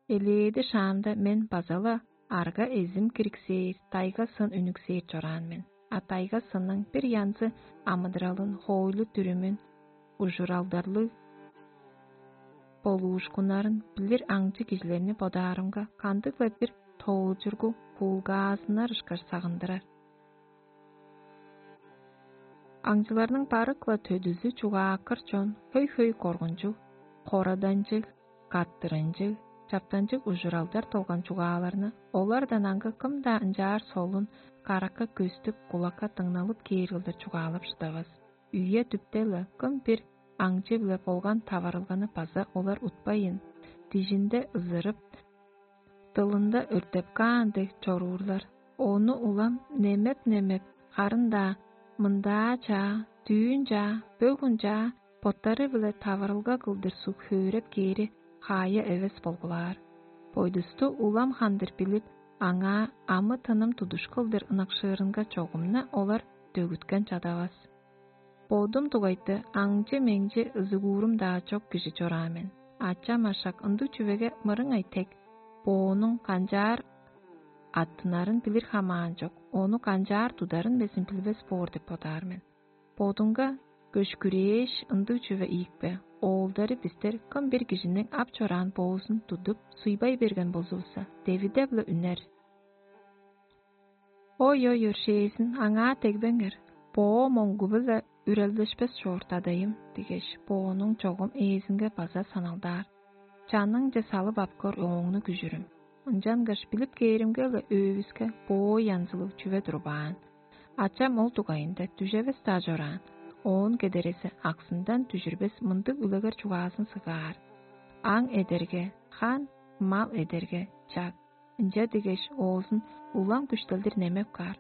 Элээди шаамда мен база-ла арга эзим кириксээр, тайга сын үнүксээр чораан мен. А тайга сынның бир янзы амыдыралын, хоойлу-дүрүмүн, ужуралдарлыг болуушкуннарын билир аңчы кижилерни бодаарымга, кандыг-ла бир тоолчургу куулгаазыннар ышкаш сагындырар. Аңчыларның барык-ла төдүзү чугааккыр чон, хөй-хөй коргунчуг, кораданчыг, каттырынчыг, чаптанчыг ужуралдар долган чугааларны олардан аңгы кым-даа ынчаар солун, каракка көстүп, кулакка дыңналып кээр кылдыр чугаалап шыдавас. Үе-дүпте-ла кым бир аңчы-биле болган таварылганы база олар утпайн, дижинде ызырып, дылында өртеп каан дег чоруурлар. Ону улам немеп-немеп, харын-даа мындаа чаа, дүүн чаа, бөгүн чаа боттары-биле таварылга кылдыр суг хөөреп кээри хаая эвес болгулаар. Бойдусту улам хандыр билип, аңаа амы-тыным тудуш кылдыр ынакшыырынга чогумна олар дөгүткен чадавас. Бодум дугайты аңчы-меңчи ызыгуурум-даа чок кижи чораан мен. Ачам ашак ындыг чүвеге мырыңай тег, боонуң канчаар аттынарын билир хамаан чок, ону канчаар тударын безин билбес боор деп бодаар мен. Бодунга көшкүрээш ындыг чүве ийикпе, оолдары бистер кым бир кижиниң ап чораан боозун тудуп, суйбай берген болзувусса, девиде-биле үнер. Ой-ой, өршээзин, аңаа дегбеңер, боо моңгу-биле үрелдешпес чоор дадайым дигеш, боонуң чогум ээзинге база саналдаар. Чаныңче салып ап көр ооңну күжүрүм. Ынчангаш билип кээримге-ле өөбүске боо янзылыг чүве турбаан. Ачам ол дугайында дүжевес-даа чораан. Оон кедерези аксындан дүжүрбес мындыг үлегер чугаазын сыгаар. Аң эдерге, хан, мал эдерге, чаг. Ынча дигеш, оозун улам күштелдир немеп каар.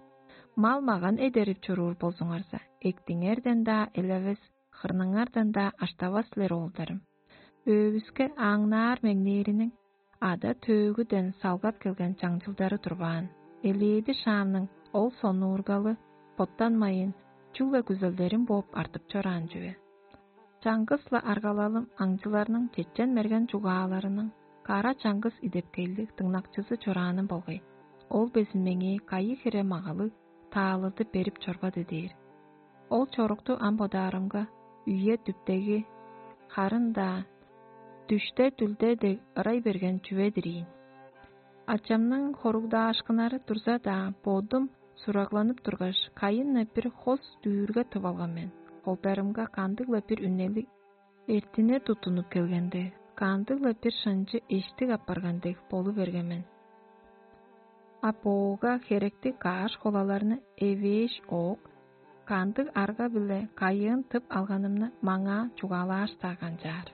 Мал-маган эдерип чоруур болзуңарза, эктиңерден-даа элевес, хырныңардан-даа аштавас силер, оолдарым. Өөбүске аңнаар меңнээриниң ада-төөгүден салгап келген чаңчылдары турбаан. Элээди шаамның ол сонуургалы боттанмайын, чүгле күзелдерим бооп артып чораан чүве. Чаңгыс-ла аргалалым аңчыларның чечен-мерген чугааларының кара чаңгыс идепкейлиг дыңнакчызы чорааным болгай. Ол безин меңээ кайы хире магалыг таалылды берип чорбады дээр. Ол чорукту ам бодаарымга, үе-дүптеги, харын-даа дүште-дүлде дег ырай берген чүве-дир ийин. Ачамның хоругдаашкыннары турза-даа, бодум сурагланып тургаш, кайын-на бир хос дүүрге тып алган мен. Холдарымга кандыг-ла бир үнелиг эртине туттунуп келген дег, кандыг-ла бир шынчы эштик апарган дег болу берген мен. А боога херектиг кааш холаларны эвээш оок, кандыг арга-биле кайыын тып алганымны маңаа чугаалааш-даа канчаар.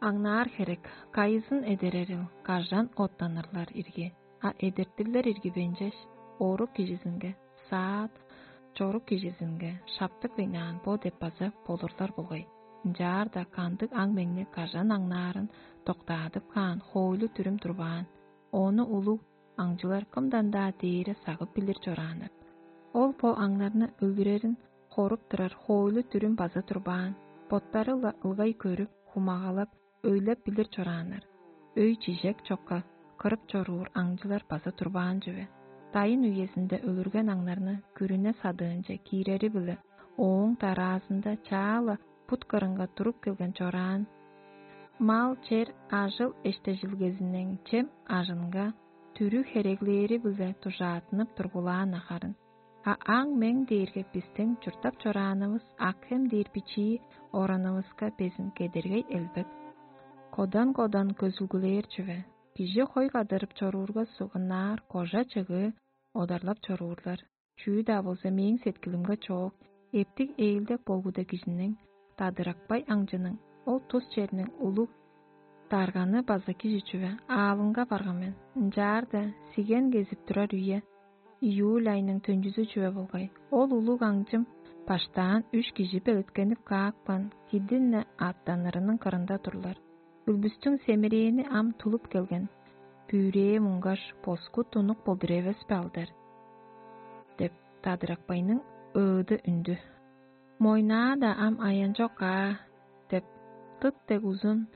Аңнаар херек, кайызын эдерерил, кажан оттанырлар ирги, а эдертирлер ирги бенчеш, орук кижизинге, саат, чорук кижизинге шаптык вейнаан бо деп база болурлар болгай. Ынчаарда кандыг аң-меңни кажан аңнаарын доктаадып каан хоойлу-дүрүм турбаан, ону улуг аңчылар кымдан-даа дээре сагып билир чорааннар. Ол бо аңнарны өлүрерин хоруп турар хоойлу-дүрүм база турбаан, боттары-ла ылгай көрүп, хумагалап, өйлеп билир чорааннар. Өй-чижек чокка кырып чоруур аңчылар база турбаан чүве. Дайын үезинде өлүрген аңнарны күрүне садыынче киирери-биле ооң дараазында чаа-ла бут кырынга туруп келген чораан. Мал-чер ажыл эштежилгезиниң чем ажынга, түрү хереглээри-биле дужааттынып тургулаан ахарын. А аң-мең дээрге бистиң чурттап чораанывыс Акхем дээр бичии оранывыска безин кедергей элбек. Кодан-кодан көзүлгүлээр чүве. Кижи хой кадырып чоруурга сугунаар кожа чыгыы одарлап чоруурлар. Чүү-даа болза мээң сеткилимге чоок, эптиг ээлдек болгуда кижиниң, дадыракпай аңчының, ол тус черниң улуг дарганы база кижи чүве аалынга барган мен. Ынчаарда сиген кезип турар үе, июль айның төнчүзү чүве болгай. Ол улуг аңчым баштаан үш кижи белеткенип каапкан кидин-не аъттанырының кырында турлар. Өлбүстүң семирээни ам тулуп келген. Бүрээ муңгаш, боску тунук болдур эвес бе алдар? — деп, Тадыракпайның ыыды үндү. — Мойнаа-даа ам аянчок-аа, — деп, тыт дег узун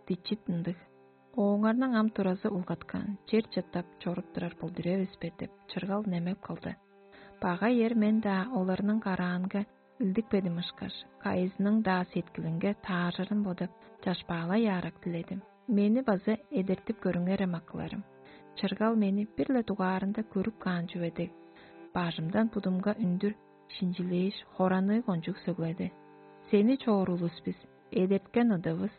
дичит ындыг. — Ооңарның ам туразы улгаткан, чер чыттап чоруп турар болдур эвес бе? — деп, чыргал немеп калды. Багай эр мен-даа оларның караанга илдикпедим ышкаш, кайызының-даа сеткилинге тааржырын бодап, чашпаалай аарак диледим. Мени база эдертип көрүңерем, акыларым. Чыргал мени бир-ле дугаарында көрүп каан чүве дег, бажымдан будумга үндүр шинчилээш, хораныы кончуг сөгледи: — Сени чоор улус бис, эдерткен ыдывыс,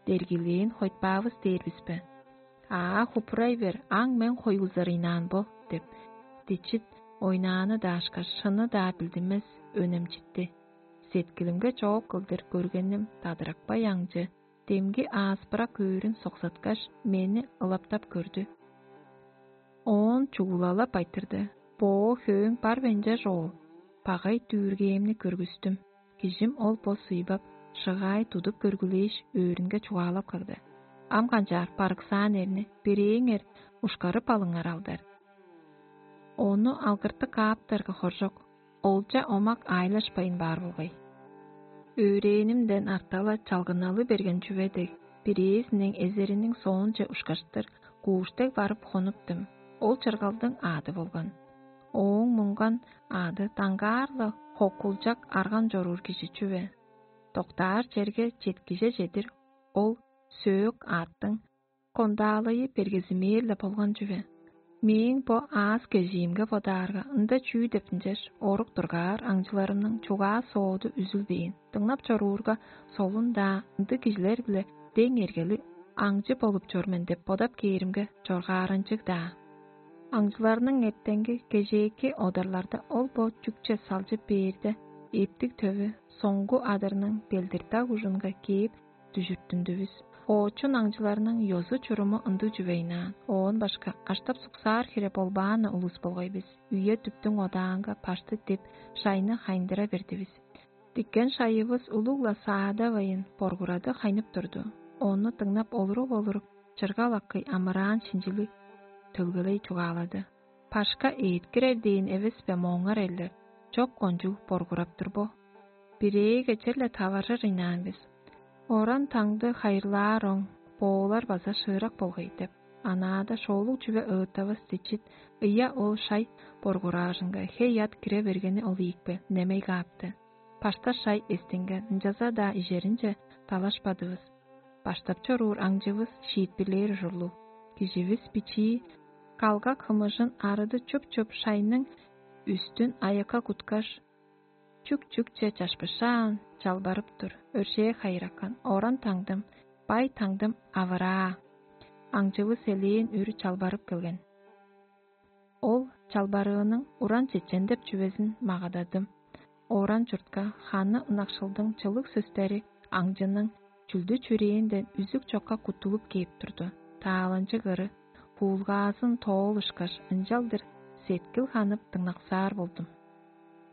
дергилээн хойтпаавыс дээр бис бе? Аа, хупурай бер, аң мен хойгузар ыйнаан бо, — деп, дичит ойнааны даашкаш, шыны-даа билдинмес өнемчитти. Сеткилимге чоок кылдыр көргеним дадыракпай аңчы, демги ааспырак өөрүн соксаткаш, мени ылаптап көрдү. Оон чугулалап айтырды: — Боо хөөң бар бе ынча, чоол? Багай дүүргээмни көргүстүм. Кижим ол бо суйбап, шыгаай тудуп көргүлээш, өөрүнге чугаалап кагды: — Ам канчаар, барыксаан эрни бирээңер ушкарып алыңар алдар. Ону алгыртып кааптарга хоржок, олча омак аайлашпайн баар болгай. Өөрээнимден артала чалгыналы берген чүве дег, бирээзиниң эзериниң соонче ушкаштыр, кууштег барып хонуптум. Ол чыргалдың аады болган. Ооң муңган аъды даңгаар-ла хокулчак арган чоруур кижи чүве. Доктаар черге четкиже чедир ол сөөк аъттың кондаалайы бергезимээр-ле болган чүве. Мээң бо аас-кежиимге бодаарга, ында чүү деп ынчаш орук дургаар аңчыларымның чугаа-сооду үзүлбээн, дыңнап чоруурга, солун-даа ындыг кижилер-биле дең эргели аңчы болуп чор мен деп бодап кээримге, чоргааранчыг-даа. Аңчыларның эртенги кежээки одарларда ол бо чүкче салчып бээрде, эптиг төвү соңгу адырның белдиртаг ужунга кээп дүжүрттүндүвүс. Оочун аңчыларның ёзу-чуруму ындыг чүвейнаан, оон башка аштап-суксаар хире болбаан-на улус болгай бис. Үе-дүптүң одаанга башты деп, шайны хайындыра бердивис. Диккен шайывыс улуг-ла саадавайын боргурады хайнып турду. Ону дыңнап олуруп-олуруп, чыргал акый амыраан шинчили төлгелей чугаалады: — Башка ээткирер дээн эвес бе, мооңар эрлер? Чок кончуг боргурап тур бо. Бирээге черле таваржыр ыйнаан бис. Оран таңды хайырлаар оң, боолар база шыырак болгай деп, анаада шоолуг чүве ыыттавас дичит, ыяа ол шай боргураажынга хей-ат кире бергени ол ийикпе, немей каапты. Башта шай эстинген, ынчалза-даа ижеринче далашпадывыс. Баштап чоруур аңчывыс шиитпирлээр ужурлуг. Киживис бичии, калгак хымыжын арыды чуп-чуп шайның үстүн аякка куткаш, чүк-чүкче чашпышаан, чалбарып тур. Өршээ хайыракан, оран таңдым, бай таңдым авыраа. Аңчывыс элээн үр чалбарып келген. Ол чалбарыының уран чечен деп чүвезин магададым. Оран чуртка ханы ынакшылдың чылыг сөстери аңчының чүлдү-чүрээнден үзүк чокка куттулуп кээп турду. Тааланчыг ыры, буулгаазын тоол ышкаш, ынчалдыр сеткил ханып дыңнаксаар болдум.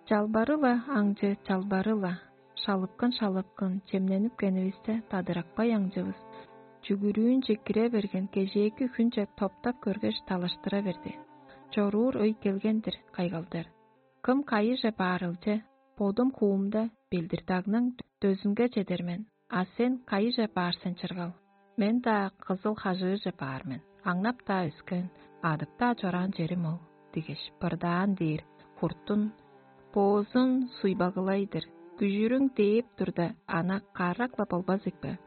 Чалбары-ла, аңчы, чалбары-ла, шалыпкын-шалыпкын чемненип кенивисте, дадыракпай аңчывыс чүгүрүүнче кире берген кежээки хүнче топтап көргеш, талаштыра берди: «Чоруур өй келген-дир, кайгалдар. Кым кайыже баарылче, бодум хуумда Белдирдагның дөзүнге чедер мен, а сен кайыже баар сен, чыргал? Мен-даа кызыл хажыыже баар мен, аңнап-даа өскен, адып-даа чораан черим ол» — дигеш, бырдаан дээр хуртун боозун суйбагылай-дыр. Күжүрүң дээп турда, ана карак-ла болбас ийикпе?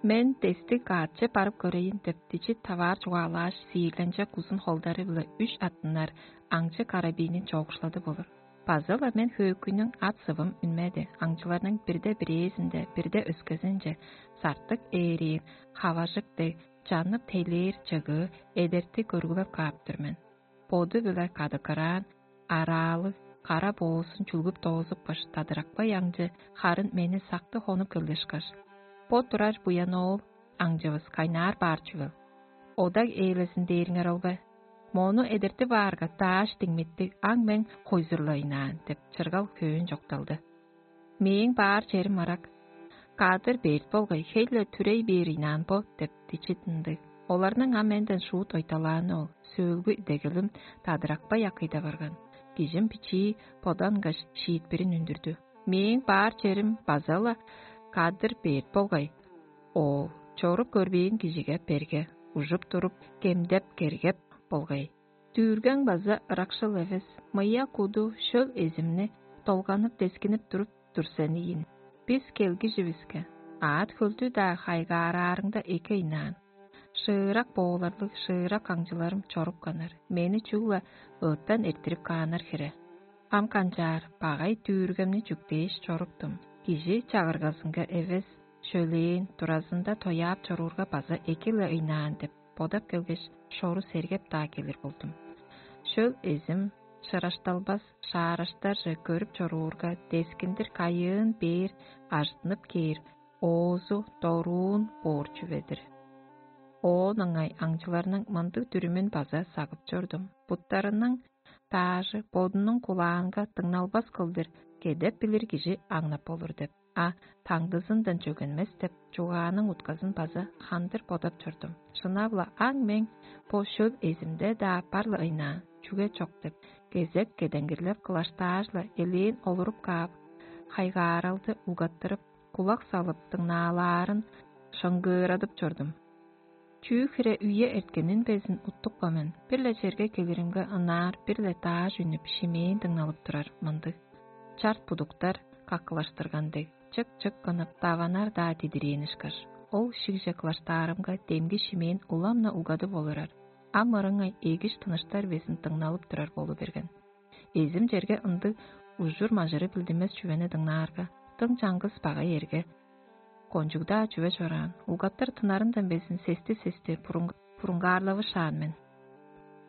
Мен дестиг каатче барып көрейн деп, дичи таваар чугаалааш, сиирленчек узун холдары-биле үш аттынар аңчы карабинин чоокшуладып олур. База-ла мен хөөкүйнүң ат-сывым үнмеди, аңчыларның бирде бирээзинде, бирде өскезинче сартык ээриин, хаважык дег, чанып тейлээр чыгыы эдерти көргүлеп каап тур мен. Боду-биле кадыкыраан, араалыг, кара боозун чүлгүп доозупкаш, тадыракпай аңчы харын мени сакты хонуп келгешкаш: «Бо турар буян оол аңчывыс кайнаар баар чүвел? Одаг ээлезин дээриңер ол бе? Мону эдертип аарга, дааш диңмиттиг аң-мең хойзурлайнаан» — деп, чыргал хөөн чокталды. «Мээң баар черим ырак. Кадыр берт болгай, хей-ле түрей бээр ыйнаан бо» — деп, дичит ындыг. Оларның ам менден шуут ойталааны ол, сөөлгү идегелим тадыракпай акыйда барган. Кижим бичии бодангаш, шиитпирин үндүрдү: «Мээң баар черим база-ла кадыр берт болгай. Оол, чоруп көрбээн кижиге берге, ужуп туруп, кемдеп-кергеп болгай. Дүүргең база ыракшыл эвес, мыя куду шөл эзимни долганып-дескинип туруп тур сен ийин. Бис келгиживиске, аът-хөлдү-даа хайгаараарыңда эки ыйнаан. Шыырак бооларлыг шыырак аңчыларым чорупканнар, мени чүгле ыыттан эрттирип кааннар хире. Ам канчаар, багай дүүргемни чүктээш чоруптум. Кижи чагыргазынга эвес, шөлээн, туразында тояап чоруурга база эки-ле ыйнаан» — деп бодап келгеш, шору сергеп-даа келир болдум. Шөл эзим шырашталбас шаараштарже көрүп чоруурга, дескиндир кайыын бээр ажыттынып кээр, оозу доруун боор чүве-дир. Оон ыңай аңчыларның мындыг дүрүмүн база сагып чордум: «Буттарының даажы бодунуң кулаанга дыңналбас кылдыр кедеп билир кижи аңнап болур» — деп, а «Таңдызындан чөгенмес» — деп, чугааның утказын база хандыр бодап чордум. Шынап-ла, аң-мең бо шөл эзимде-даа бар-ла ыйнаан, чүге чок деп, кезек кедеңгирлеп кылаштааш-ла, элээн олуруп каап, хайгааралды угаттырып, кулак салып дыңнаалаарын шыңгыырадып чордум. Чүү хире үе эрткенин безин уттупкан мен, бир-ле черге келиримге, ынаар бир-ле дааш үнүп, шимээн дыңналып турар мындыг. Чарт будуктар каккылаштырган дег, чык-чык кынып, даванар-даа дидирээн ышкаш. Ол шигже кылаштаарымга, демги шимээн улам-на угадып олурар. Ам ырыңай эгиш тыныштар безин дыңналып турар болу берген. Эзим черге ындыг ужур-мажыры билдинмес чүвени дыңнаарга, дың чаңгыс багай эрге кончуг-даа чүве чораан, угаттыр тынарындан безин сести-сести бурунгаарлавышаан мен.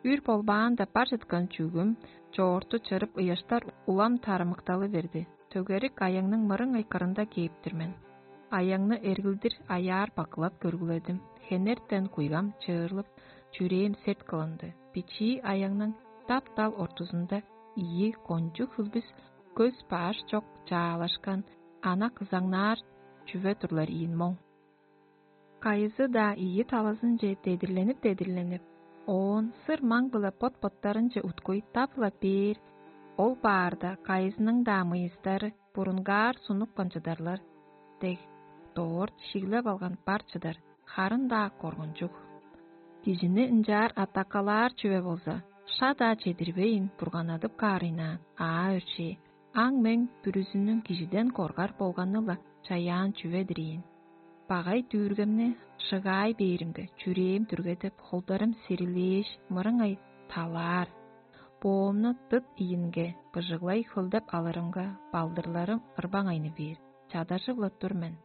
Үр болбаанда бар чыткан чүгүм чоорту чырып, ыяштар улам тарымыкталы берди. Төгерик аяңның мырыңай кырында кээп-тир мен. Аяңны эргилдир аяар бакылап көргүледим. Хенертен куйгам чыырлып, чүрээм серт кылынды. Бичии аяңның дап-дал ортузунда ийи кончуг хүлбүс көс-баш чок чаалашкан ана кызаңнаар чүве турлар ийин моң. Кайызы-даа ийи талазынче дедирленип-дедирленип, оон сыр маң-биле бот-боттарынче уткуй дап-ла бээр, ол баарда кайызының-даа мыйыстары бурунгаар сунупкан чыдарлар дег, дорт шиглеп алган бар чыдар, харын-даа коргунчуг. Кижини ынчаар атакалаар чүве болза, ша-даа чедирбейн бурганадып каарыйнаан, аа өршээ, аң-мең бүрүзүнүң кижиден коргар болганы-ла чаяан чүве-дир ийин. Багай дүүргемни шыгаай бээримге, чүрээм дүргедип, холдарым сирилээш, мырыңай талаар. Боомну дыт ийинге быжыглай хөлдеп алырымга, балдырларым ырбаңайны бээр, чадажып-ла тур мен.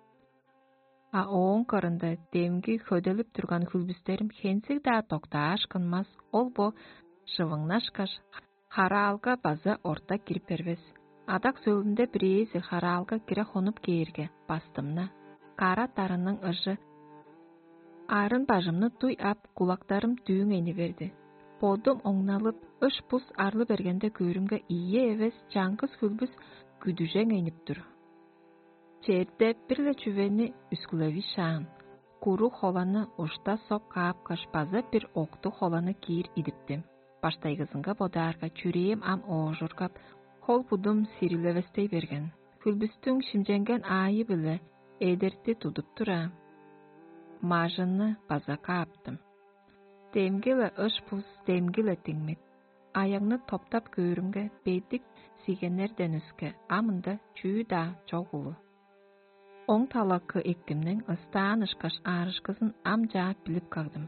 А ооң кырында демги хөделип турган хүлбүстерим хензиг-даа доктааш кынмас, ол бо шывыңнашкаш, хараалга база орта кирип бербес. Адак сөөлүнде бирээзи хараалга кире хонуп кээрге, бастымны, кара дарының ыжы арын бажымны дуй ап, кулактарым дүүң эни берди. Бодум оңналып, ыш-бус арлы бергенде көөрүмге, ийи эвес чаңгыс хүлбүс күдүжең энип тур. Черде бир-ле чүвени үскүлевишаан. Куруг холаны ушта соп каапкаш, база бир октуг холаны киир идиптим. Баштайгызынга бодаарга, чүрээм ам оожургап, хол-будум сирилевестей берген. Хүлбүстүң шимченген аайы-биле эдерти тудуп тура, мажынны база кааптым. Демги-ле ыш-бус, демги-ле диңмит. Аягны топтап көөрүмге, бедик сигеннерден өске ам ында чүү-даа чок улу. Оң талакы эктимниң ыстаан ышкаш аарышкызын ам чаап билип кагдым.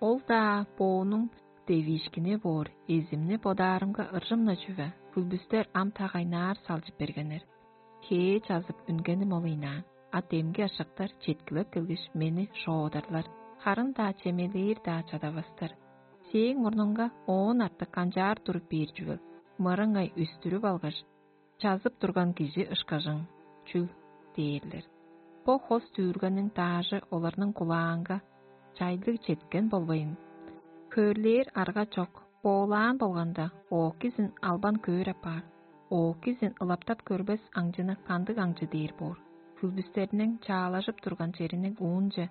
Ол-даа боонуң девиишкини боор, эзимни бодаарымга ыржым-на чүве, хүлбүстер ам та кайнаар салчып бергеннер. Хээ чазып үнгеним ол ыйнаан, а демги ашактар четкилеп келгеш, мени шоодарлар, харын-даа чемелээр-даа чадавастар. Сээң мурнуңга оон артык канчаар туруп бээр чүвел, мырыңай үстүрүп алгаш, чазып турган кижи ышкажың чүл дээрлер. Бо хос дүүргениң даажы оларның кулаанга чайлыг четкен болбайн, хөөрлээр арга чок, боолаан болганда, оокизин албан көөр апаар, оокизин ылаптап көрбес аңчыны кандыг аңчы дээр боор? Хүлбүстерниң чаалажып турган чериниң уунче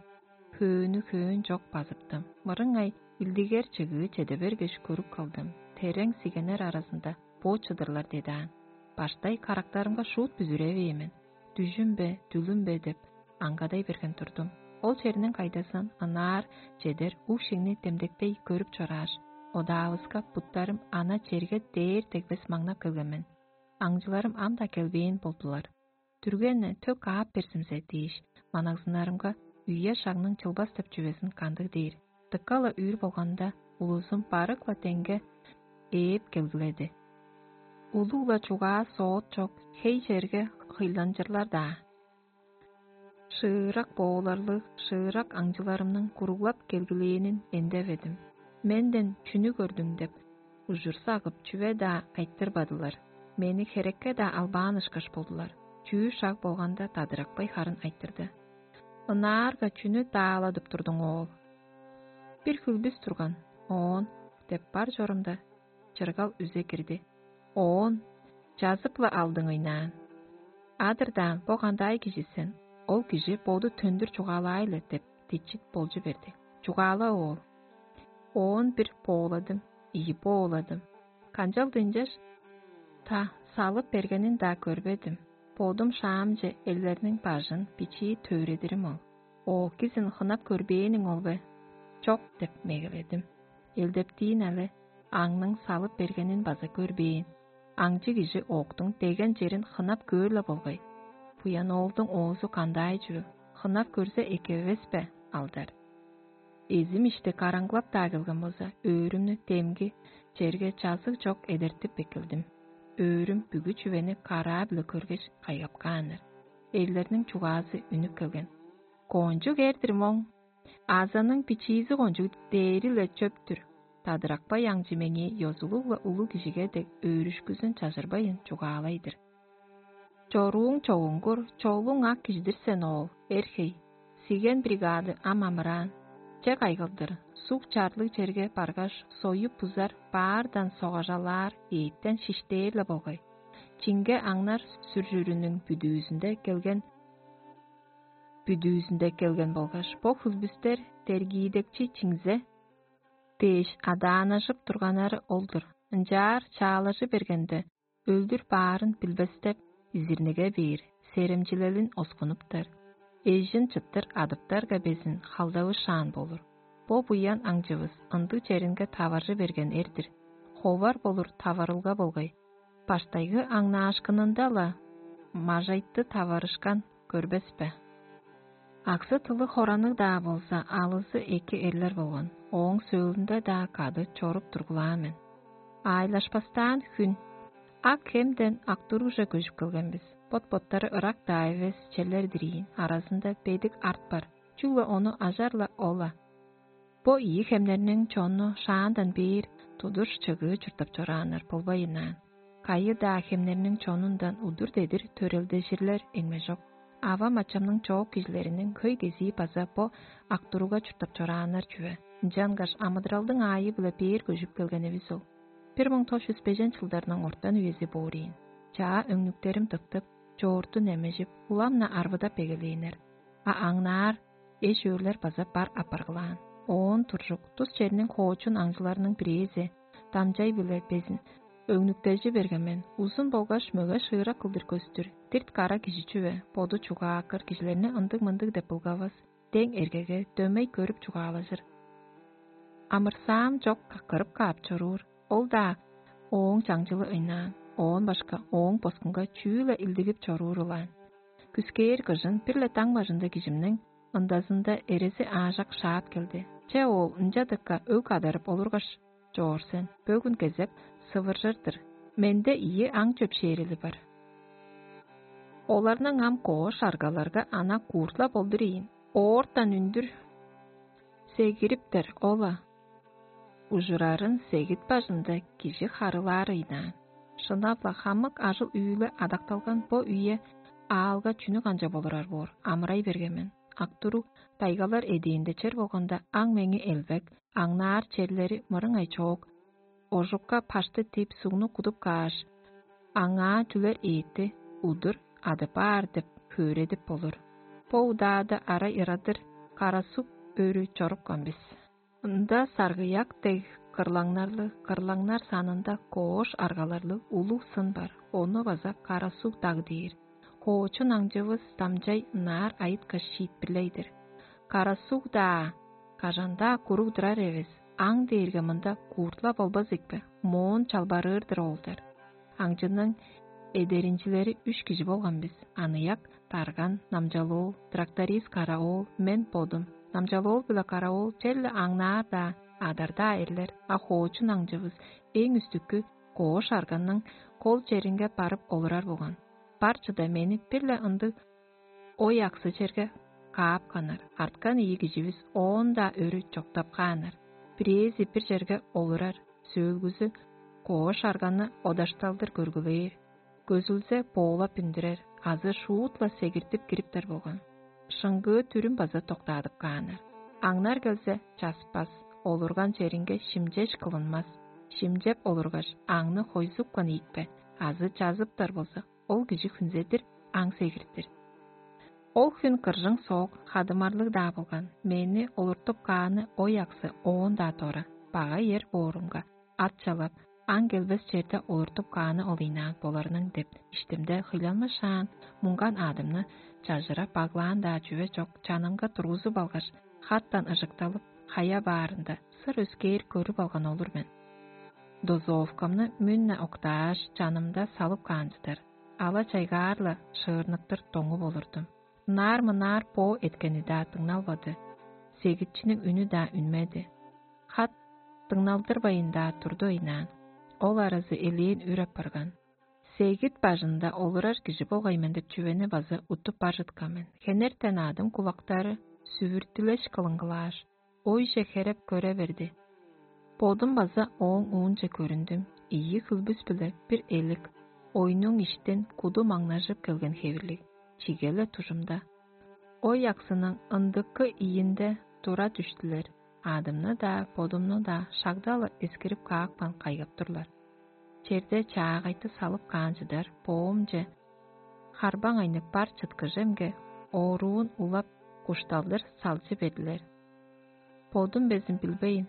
хөөнү хөөн чок базыптым. Мырыңай илдигер чыгыы чеде бергеш көрүп калдым. Терең сигеннер аразында бо чыдырлар дедаан. Баштай карактарымга шуут бүзүревээн мен. Дүжүм бе, дүлүм бе деп аңгадай берген турдум. Ол черниң кайдазын ынаар чедер уг-шеңни демдекпей көрүп чорааш, одаавыска буттарым ана черге дээр дегбес маңнап келген мен. Аңчыларым ам-даа келбээн болдулар. Дүрген-не төк каап берзимзе дээш, манагзыннарымга үе-шагның чылбас деп чүвезин кандыг дээр. Дыка-ла үүр болганда, улузум барык-ла деңге ээп келгиледи. Улуг-ла чугаа соот чок, хей черге хыйланчырлар-даа. Шыырак бооларлыг, шыырак аңчыларымның куруглап келгилээнин эндеведим. Менден чүнү көрдүң деп, ужур сагып, чүве-даа айтырбадылар. Мени херекке-даа албаан ышкаш болдулар. Чүү шаг болганда, Дадыракпай харын айтырды: «Ынаарга чүнү дааладып турдуң, оол?» «Бир хүлбүс турган, оон» – деп бар чорумда, чыргал үзе кирди. «Оон чазып-ла алдың ыйнаан. Адырдаан, бо кандай кижи сен? Ол кижи боду төндүр чугаалаай-ла» – деп, дичит болчу берди. «Чугаала, оол». Оон бир бооладым, ийи бооладым. Канчалды ынчаш та салып бергенин-даа көрбедим. Бодум шаамче элдерниң бажын бичии төредирим ол. «Оокизин хынап көрбээниң ол бе?» «Чок» – деп мегеледим. Элдептиин але, аңның салып бергенин база көрбээн. Аңчы кижи октуң деген черин хынап көөр-ла болгай. Буян оолдуң оозу кандай чүвел, хынап көрзе эки эвес бе, алдар? Эзим ишти караңгылап-даа келген болза, өөрүмнү демги черге чазыг чок эдертип эккелдим. Өөрүм бүгү чүвени караа-биле көргеш, кайгап кааннар. Эрлерниң чугаазы үнүп келген: «Кончуг эр-дир моң. Азаның бичиизи кончуг дээри-ле чөп-түр. Дадыракпай аңчы меңээ ёзулуг-ла улуг кижиге дег өөрүшкүзүн чажырбайн чугаалай-дыр. Чорууң чогуңгур, чолуң ак кижи-дир сен, оол, эр-хей. Сиген бригады ам амыраан. Че кайгылдыр, суг чарлыг черге баргаш, союп бузар, баардан согажалаар, ээттен шиштээр-ле болгай. Чинге аңнар сүржүрүнүң бүдүүзүнде келген, бүдүүзүнде келген болгаш, бо хүлбүстер дергиидекчи чиңзе дээш адаанажып турганнары ол-дур. Ынчаар чаалажы бергенде, өлдүр баарын билбестеп, изирниге бээр, серемчилелин оскунуптар. Эжин чыттыр адыптарга безин халдавышаан болур. Бо буян аңчывыс ындыг черинге таваржы берген эр-дир. Ховар болур таварылга болгай. Баштайгы аңнаашкынында-ла мажайтты таварышкан көрбес бе? Аксы-тылы хоранныг-даа болза, алызы эки эрлер болган, ооң сөөлүнде-даа кады чоруп тургулаан мен. Аайлашпастаан хүн. Ак хемден ак тургуже көжүп келген бис. Бот-боттары ырак-даа эвес черлер-дир ийин, аразында бедик арт бар, чүгле ону ажар-ла ол-ла. Бо ийи хемнерниң чонну шаандан бээр тудуш чыгыы чурттап чорааннар болбайынаан. Кайы-даа хемнерниң чонундан удур дедир төрелдежирлер эңмежок. Авам-ачамның чоок кижилериниң хөй кезии база бо ак туруга чурттап чорааннар чүве. Ынчангаш амыдыралдың аайы-биле бээр көжүп келгенивис ол. Бир муң тос чүс бежен чылдарның ортан үези боор ийин. Чаа өңнүктерим тыптып, чоорту немежип, улам-на арвыдап эгелээннер. А аңнаар эш-өөрлер база бар апаргылаан. Оон туржук тус черниң хоочун аңчыларының бирээзи дамчай-биле безин өңнүктежи берген мен, узун болгаш мөге шыырак кылдыр көстүр, дирт кара кижи чүве, боду чугааккыр кижилерни ындыг-мындыг деп былгавас, дең эргеге дөмей көрүп чугаалажыр. Амырсаам чок каккырып каап чоруур, ол-даа ооң чаңчылы ыйнаан, оон башка ооң боскунга чүү-ле илдигип чоруур ылаан. Күскээр кыжын бир-ле даң бажында кижимниң ындазында эрези аажак шаап келди. Че оол ынча дыка өг адарып олургаш, чоор сен, бөгүн кезек сывыржыр-дыр. Менде ийи аң чөпшээрели бар. Оларның ам коош аргаларга ана кууртла болдур ийин. Оортан үндүр сегириптер ол-ла. Ужурарын сегит бажында кижи харылаар ыйнаан. Шынап-ла хамык ажыл-үүле адакталган бо үе аалга чүнү канчап олурар боор, амырай берген мен. Актуру дайгалар эдээнде чер болганда аң меңи элбек, аңнаар черлери мырыңай чоок, ожукка пашты тип сугну кудуп кааш, аңаа чүлер ээти удур адып аар деп хөөредип болур. Бо удаада арай ырадыр карасуг өрү чорупкан бис. Ында саргыяк дег кырлаңнарлыг, кырлаңнар санында коош аргаларлыг улуг сын бар, ону база карасуг даг дээр. Хоочун аңчывыс дамчай ынаар айыткаш шиитпирлей-дир. Карасуг-даа, кажан-даа куруг турар эвес, аң дээрге мында кууртла болбас ийикпе, моон чалбарыыр-дыр оолдар. Аңчының эдеринчилери үш кижи болган бис: аныяк, дарган, намчалоол, тракторист караоол, мен бодум. Намчалоол биле караоол черле аңнаар-даа, адар-даа эрлер, а хоочун аңчывыс эң үстүккү коош арганның кол черинге барып олурар болган. Бар чыда мени бир-ле ындыг ой аксы черге каапканнар, арткан ийи киживис оон-даа өрү чоктап кааннар. Бирээзи бир черге олурар, сөөлгүзү коош арганы одашталдыр көргүлээр, көзүлзе боолап үндүрер азы шуут-ла сегиртип кириптер болган. Шыңгыы дүрүм база доктаадып кааннар. Аңнар келзе, часпас, олурган черинге шимчеш кылынмас. Шимчеп олургаш, аңны хойзупкан ийикпе азы чазыптар болза, ол кижи хүнзедир аң сегиртир. Ол хүн кыржың соок, хадымарлыг-даа болган, мени олуртуп кааны ой аксы оон-даа дора, бага ер боорумга, ат чалап, аң келбес черде олуртуп кааны ол ыйнаан боларының деп иштимде хыйланмышаан, муңган аадымны чажырап баглаан-даа чүве чок, чанымга тургузуп алгаш, хаттан ыжыкталып, хая баарында сыр өскээр көрүп алган олур мен. Дозоовкамны мүн-на октааш, чанымда салып каан чыдар, ала чайгаар-ла шыырныктыр доңуп олурдум. Ынаар-мынаар боо эткени-даа дыңналбады, сегитчиниң үнү-даа үнмеди. Хат дыңналдырбайын-даа турду ыйнаан. Ол аразы элээн үр апарган. Сегит бажында олурар кижи болгай мен деп чүвени база уттуп бар чыткан мен. Хенертен аадым кулактары сүвүртүлеш кылыңгылааш, ойже хереп көре берди. Бодум база ооң уунче көрүндүм, ийи хүлбүс-биле бир элик, ойнуң иштен куду маңнажып келген хевирлиг, чиге-ле дужумда. Ой аксының ындыкы ийинде тура дүштүлер, аадымны-даа, бодумну-даа шагда-ла эскирип каапкан кайгап турлар. Черде чаагайты салып каан чыдар боомче, харбаң айнып бар чыткыжемге, оруун улап, кушталдыр салчы бедилер. Бодум безин билбейн,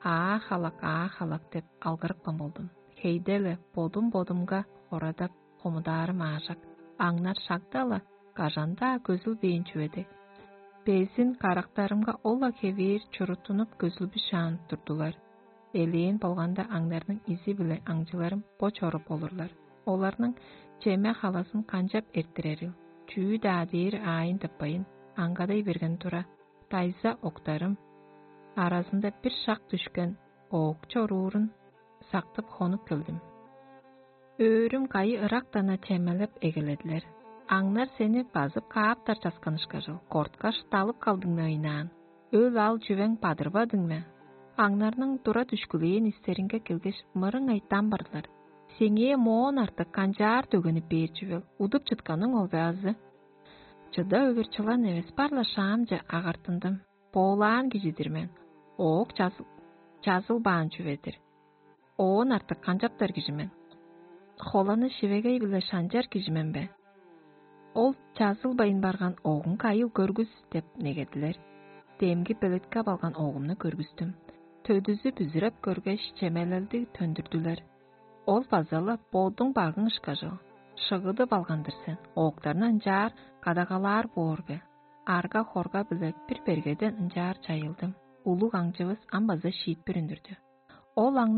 аа халак, аа халак деп алгырыпкан болдум. Хейде-ле бодум-бодумга хорадап, хомудаарым аажак, аңнар шагда-ла кажан-даа көзүлбээн чүве дег. Безин карактарымга ол-ла хевээр чуруттунуп көзүлбүшаан турдулар. Элээн болганда аңнарның изи-биле аңчыларым бо чоруп олурлар. Оларның чеме-халазын канчап эрттирерил, чүү-даа дээр аайын тыппайн, аңгадай берген тура, дайза октарым аразында бир шак дүшкен оок чоруурун сактып хонуп келдим. Өөрүм кайы ырактан-на чемелеп эгеледилер. Аңнар сени базып кааптар часкан ышкажыл, корткаш, далып калдың-на ыйнаан. Өл-ал чүвең бадырбадың ме? Аңнарның тура дүшкүлээн истеринге келгеш, мырыңай дамбарлар. Сеңээ моон артык канчаар дөгенип бээр чүвел, удуп чытканың ол бе азы? Чыда өвүр чылан эвес, бар-ла шаамче агартындым. Боолаан кижи-дир мен. Оок чазыл... чазылбаан чүве-дир. Оон артык канчаптар кижи мен? Холаны шивегей-биле шанчар кижи мен бе? Ол чазылбайн барган оогун кайыл көргүс деп негедилер. Демги белеткеп алган оогумну көргүстүм. Төдүзү бүзүреп көргеш, чемелелдиг төндүрдүлер. Ол база-ла бодуң багың ышкажыл, шыгыдып алган-дыр сен, оокторну ынчаар кадагалаар боор бе? Арга-хорга-биле бир бергеден ынчаар чайылдым. Улуг аңчывыс ам база шиитпир үндүрдү. Ол аңнаар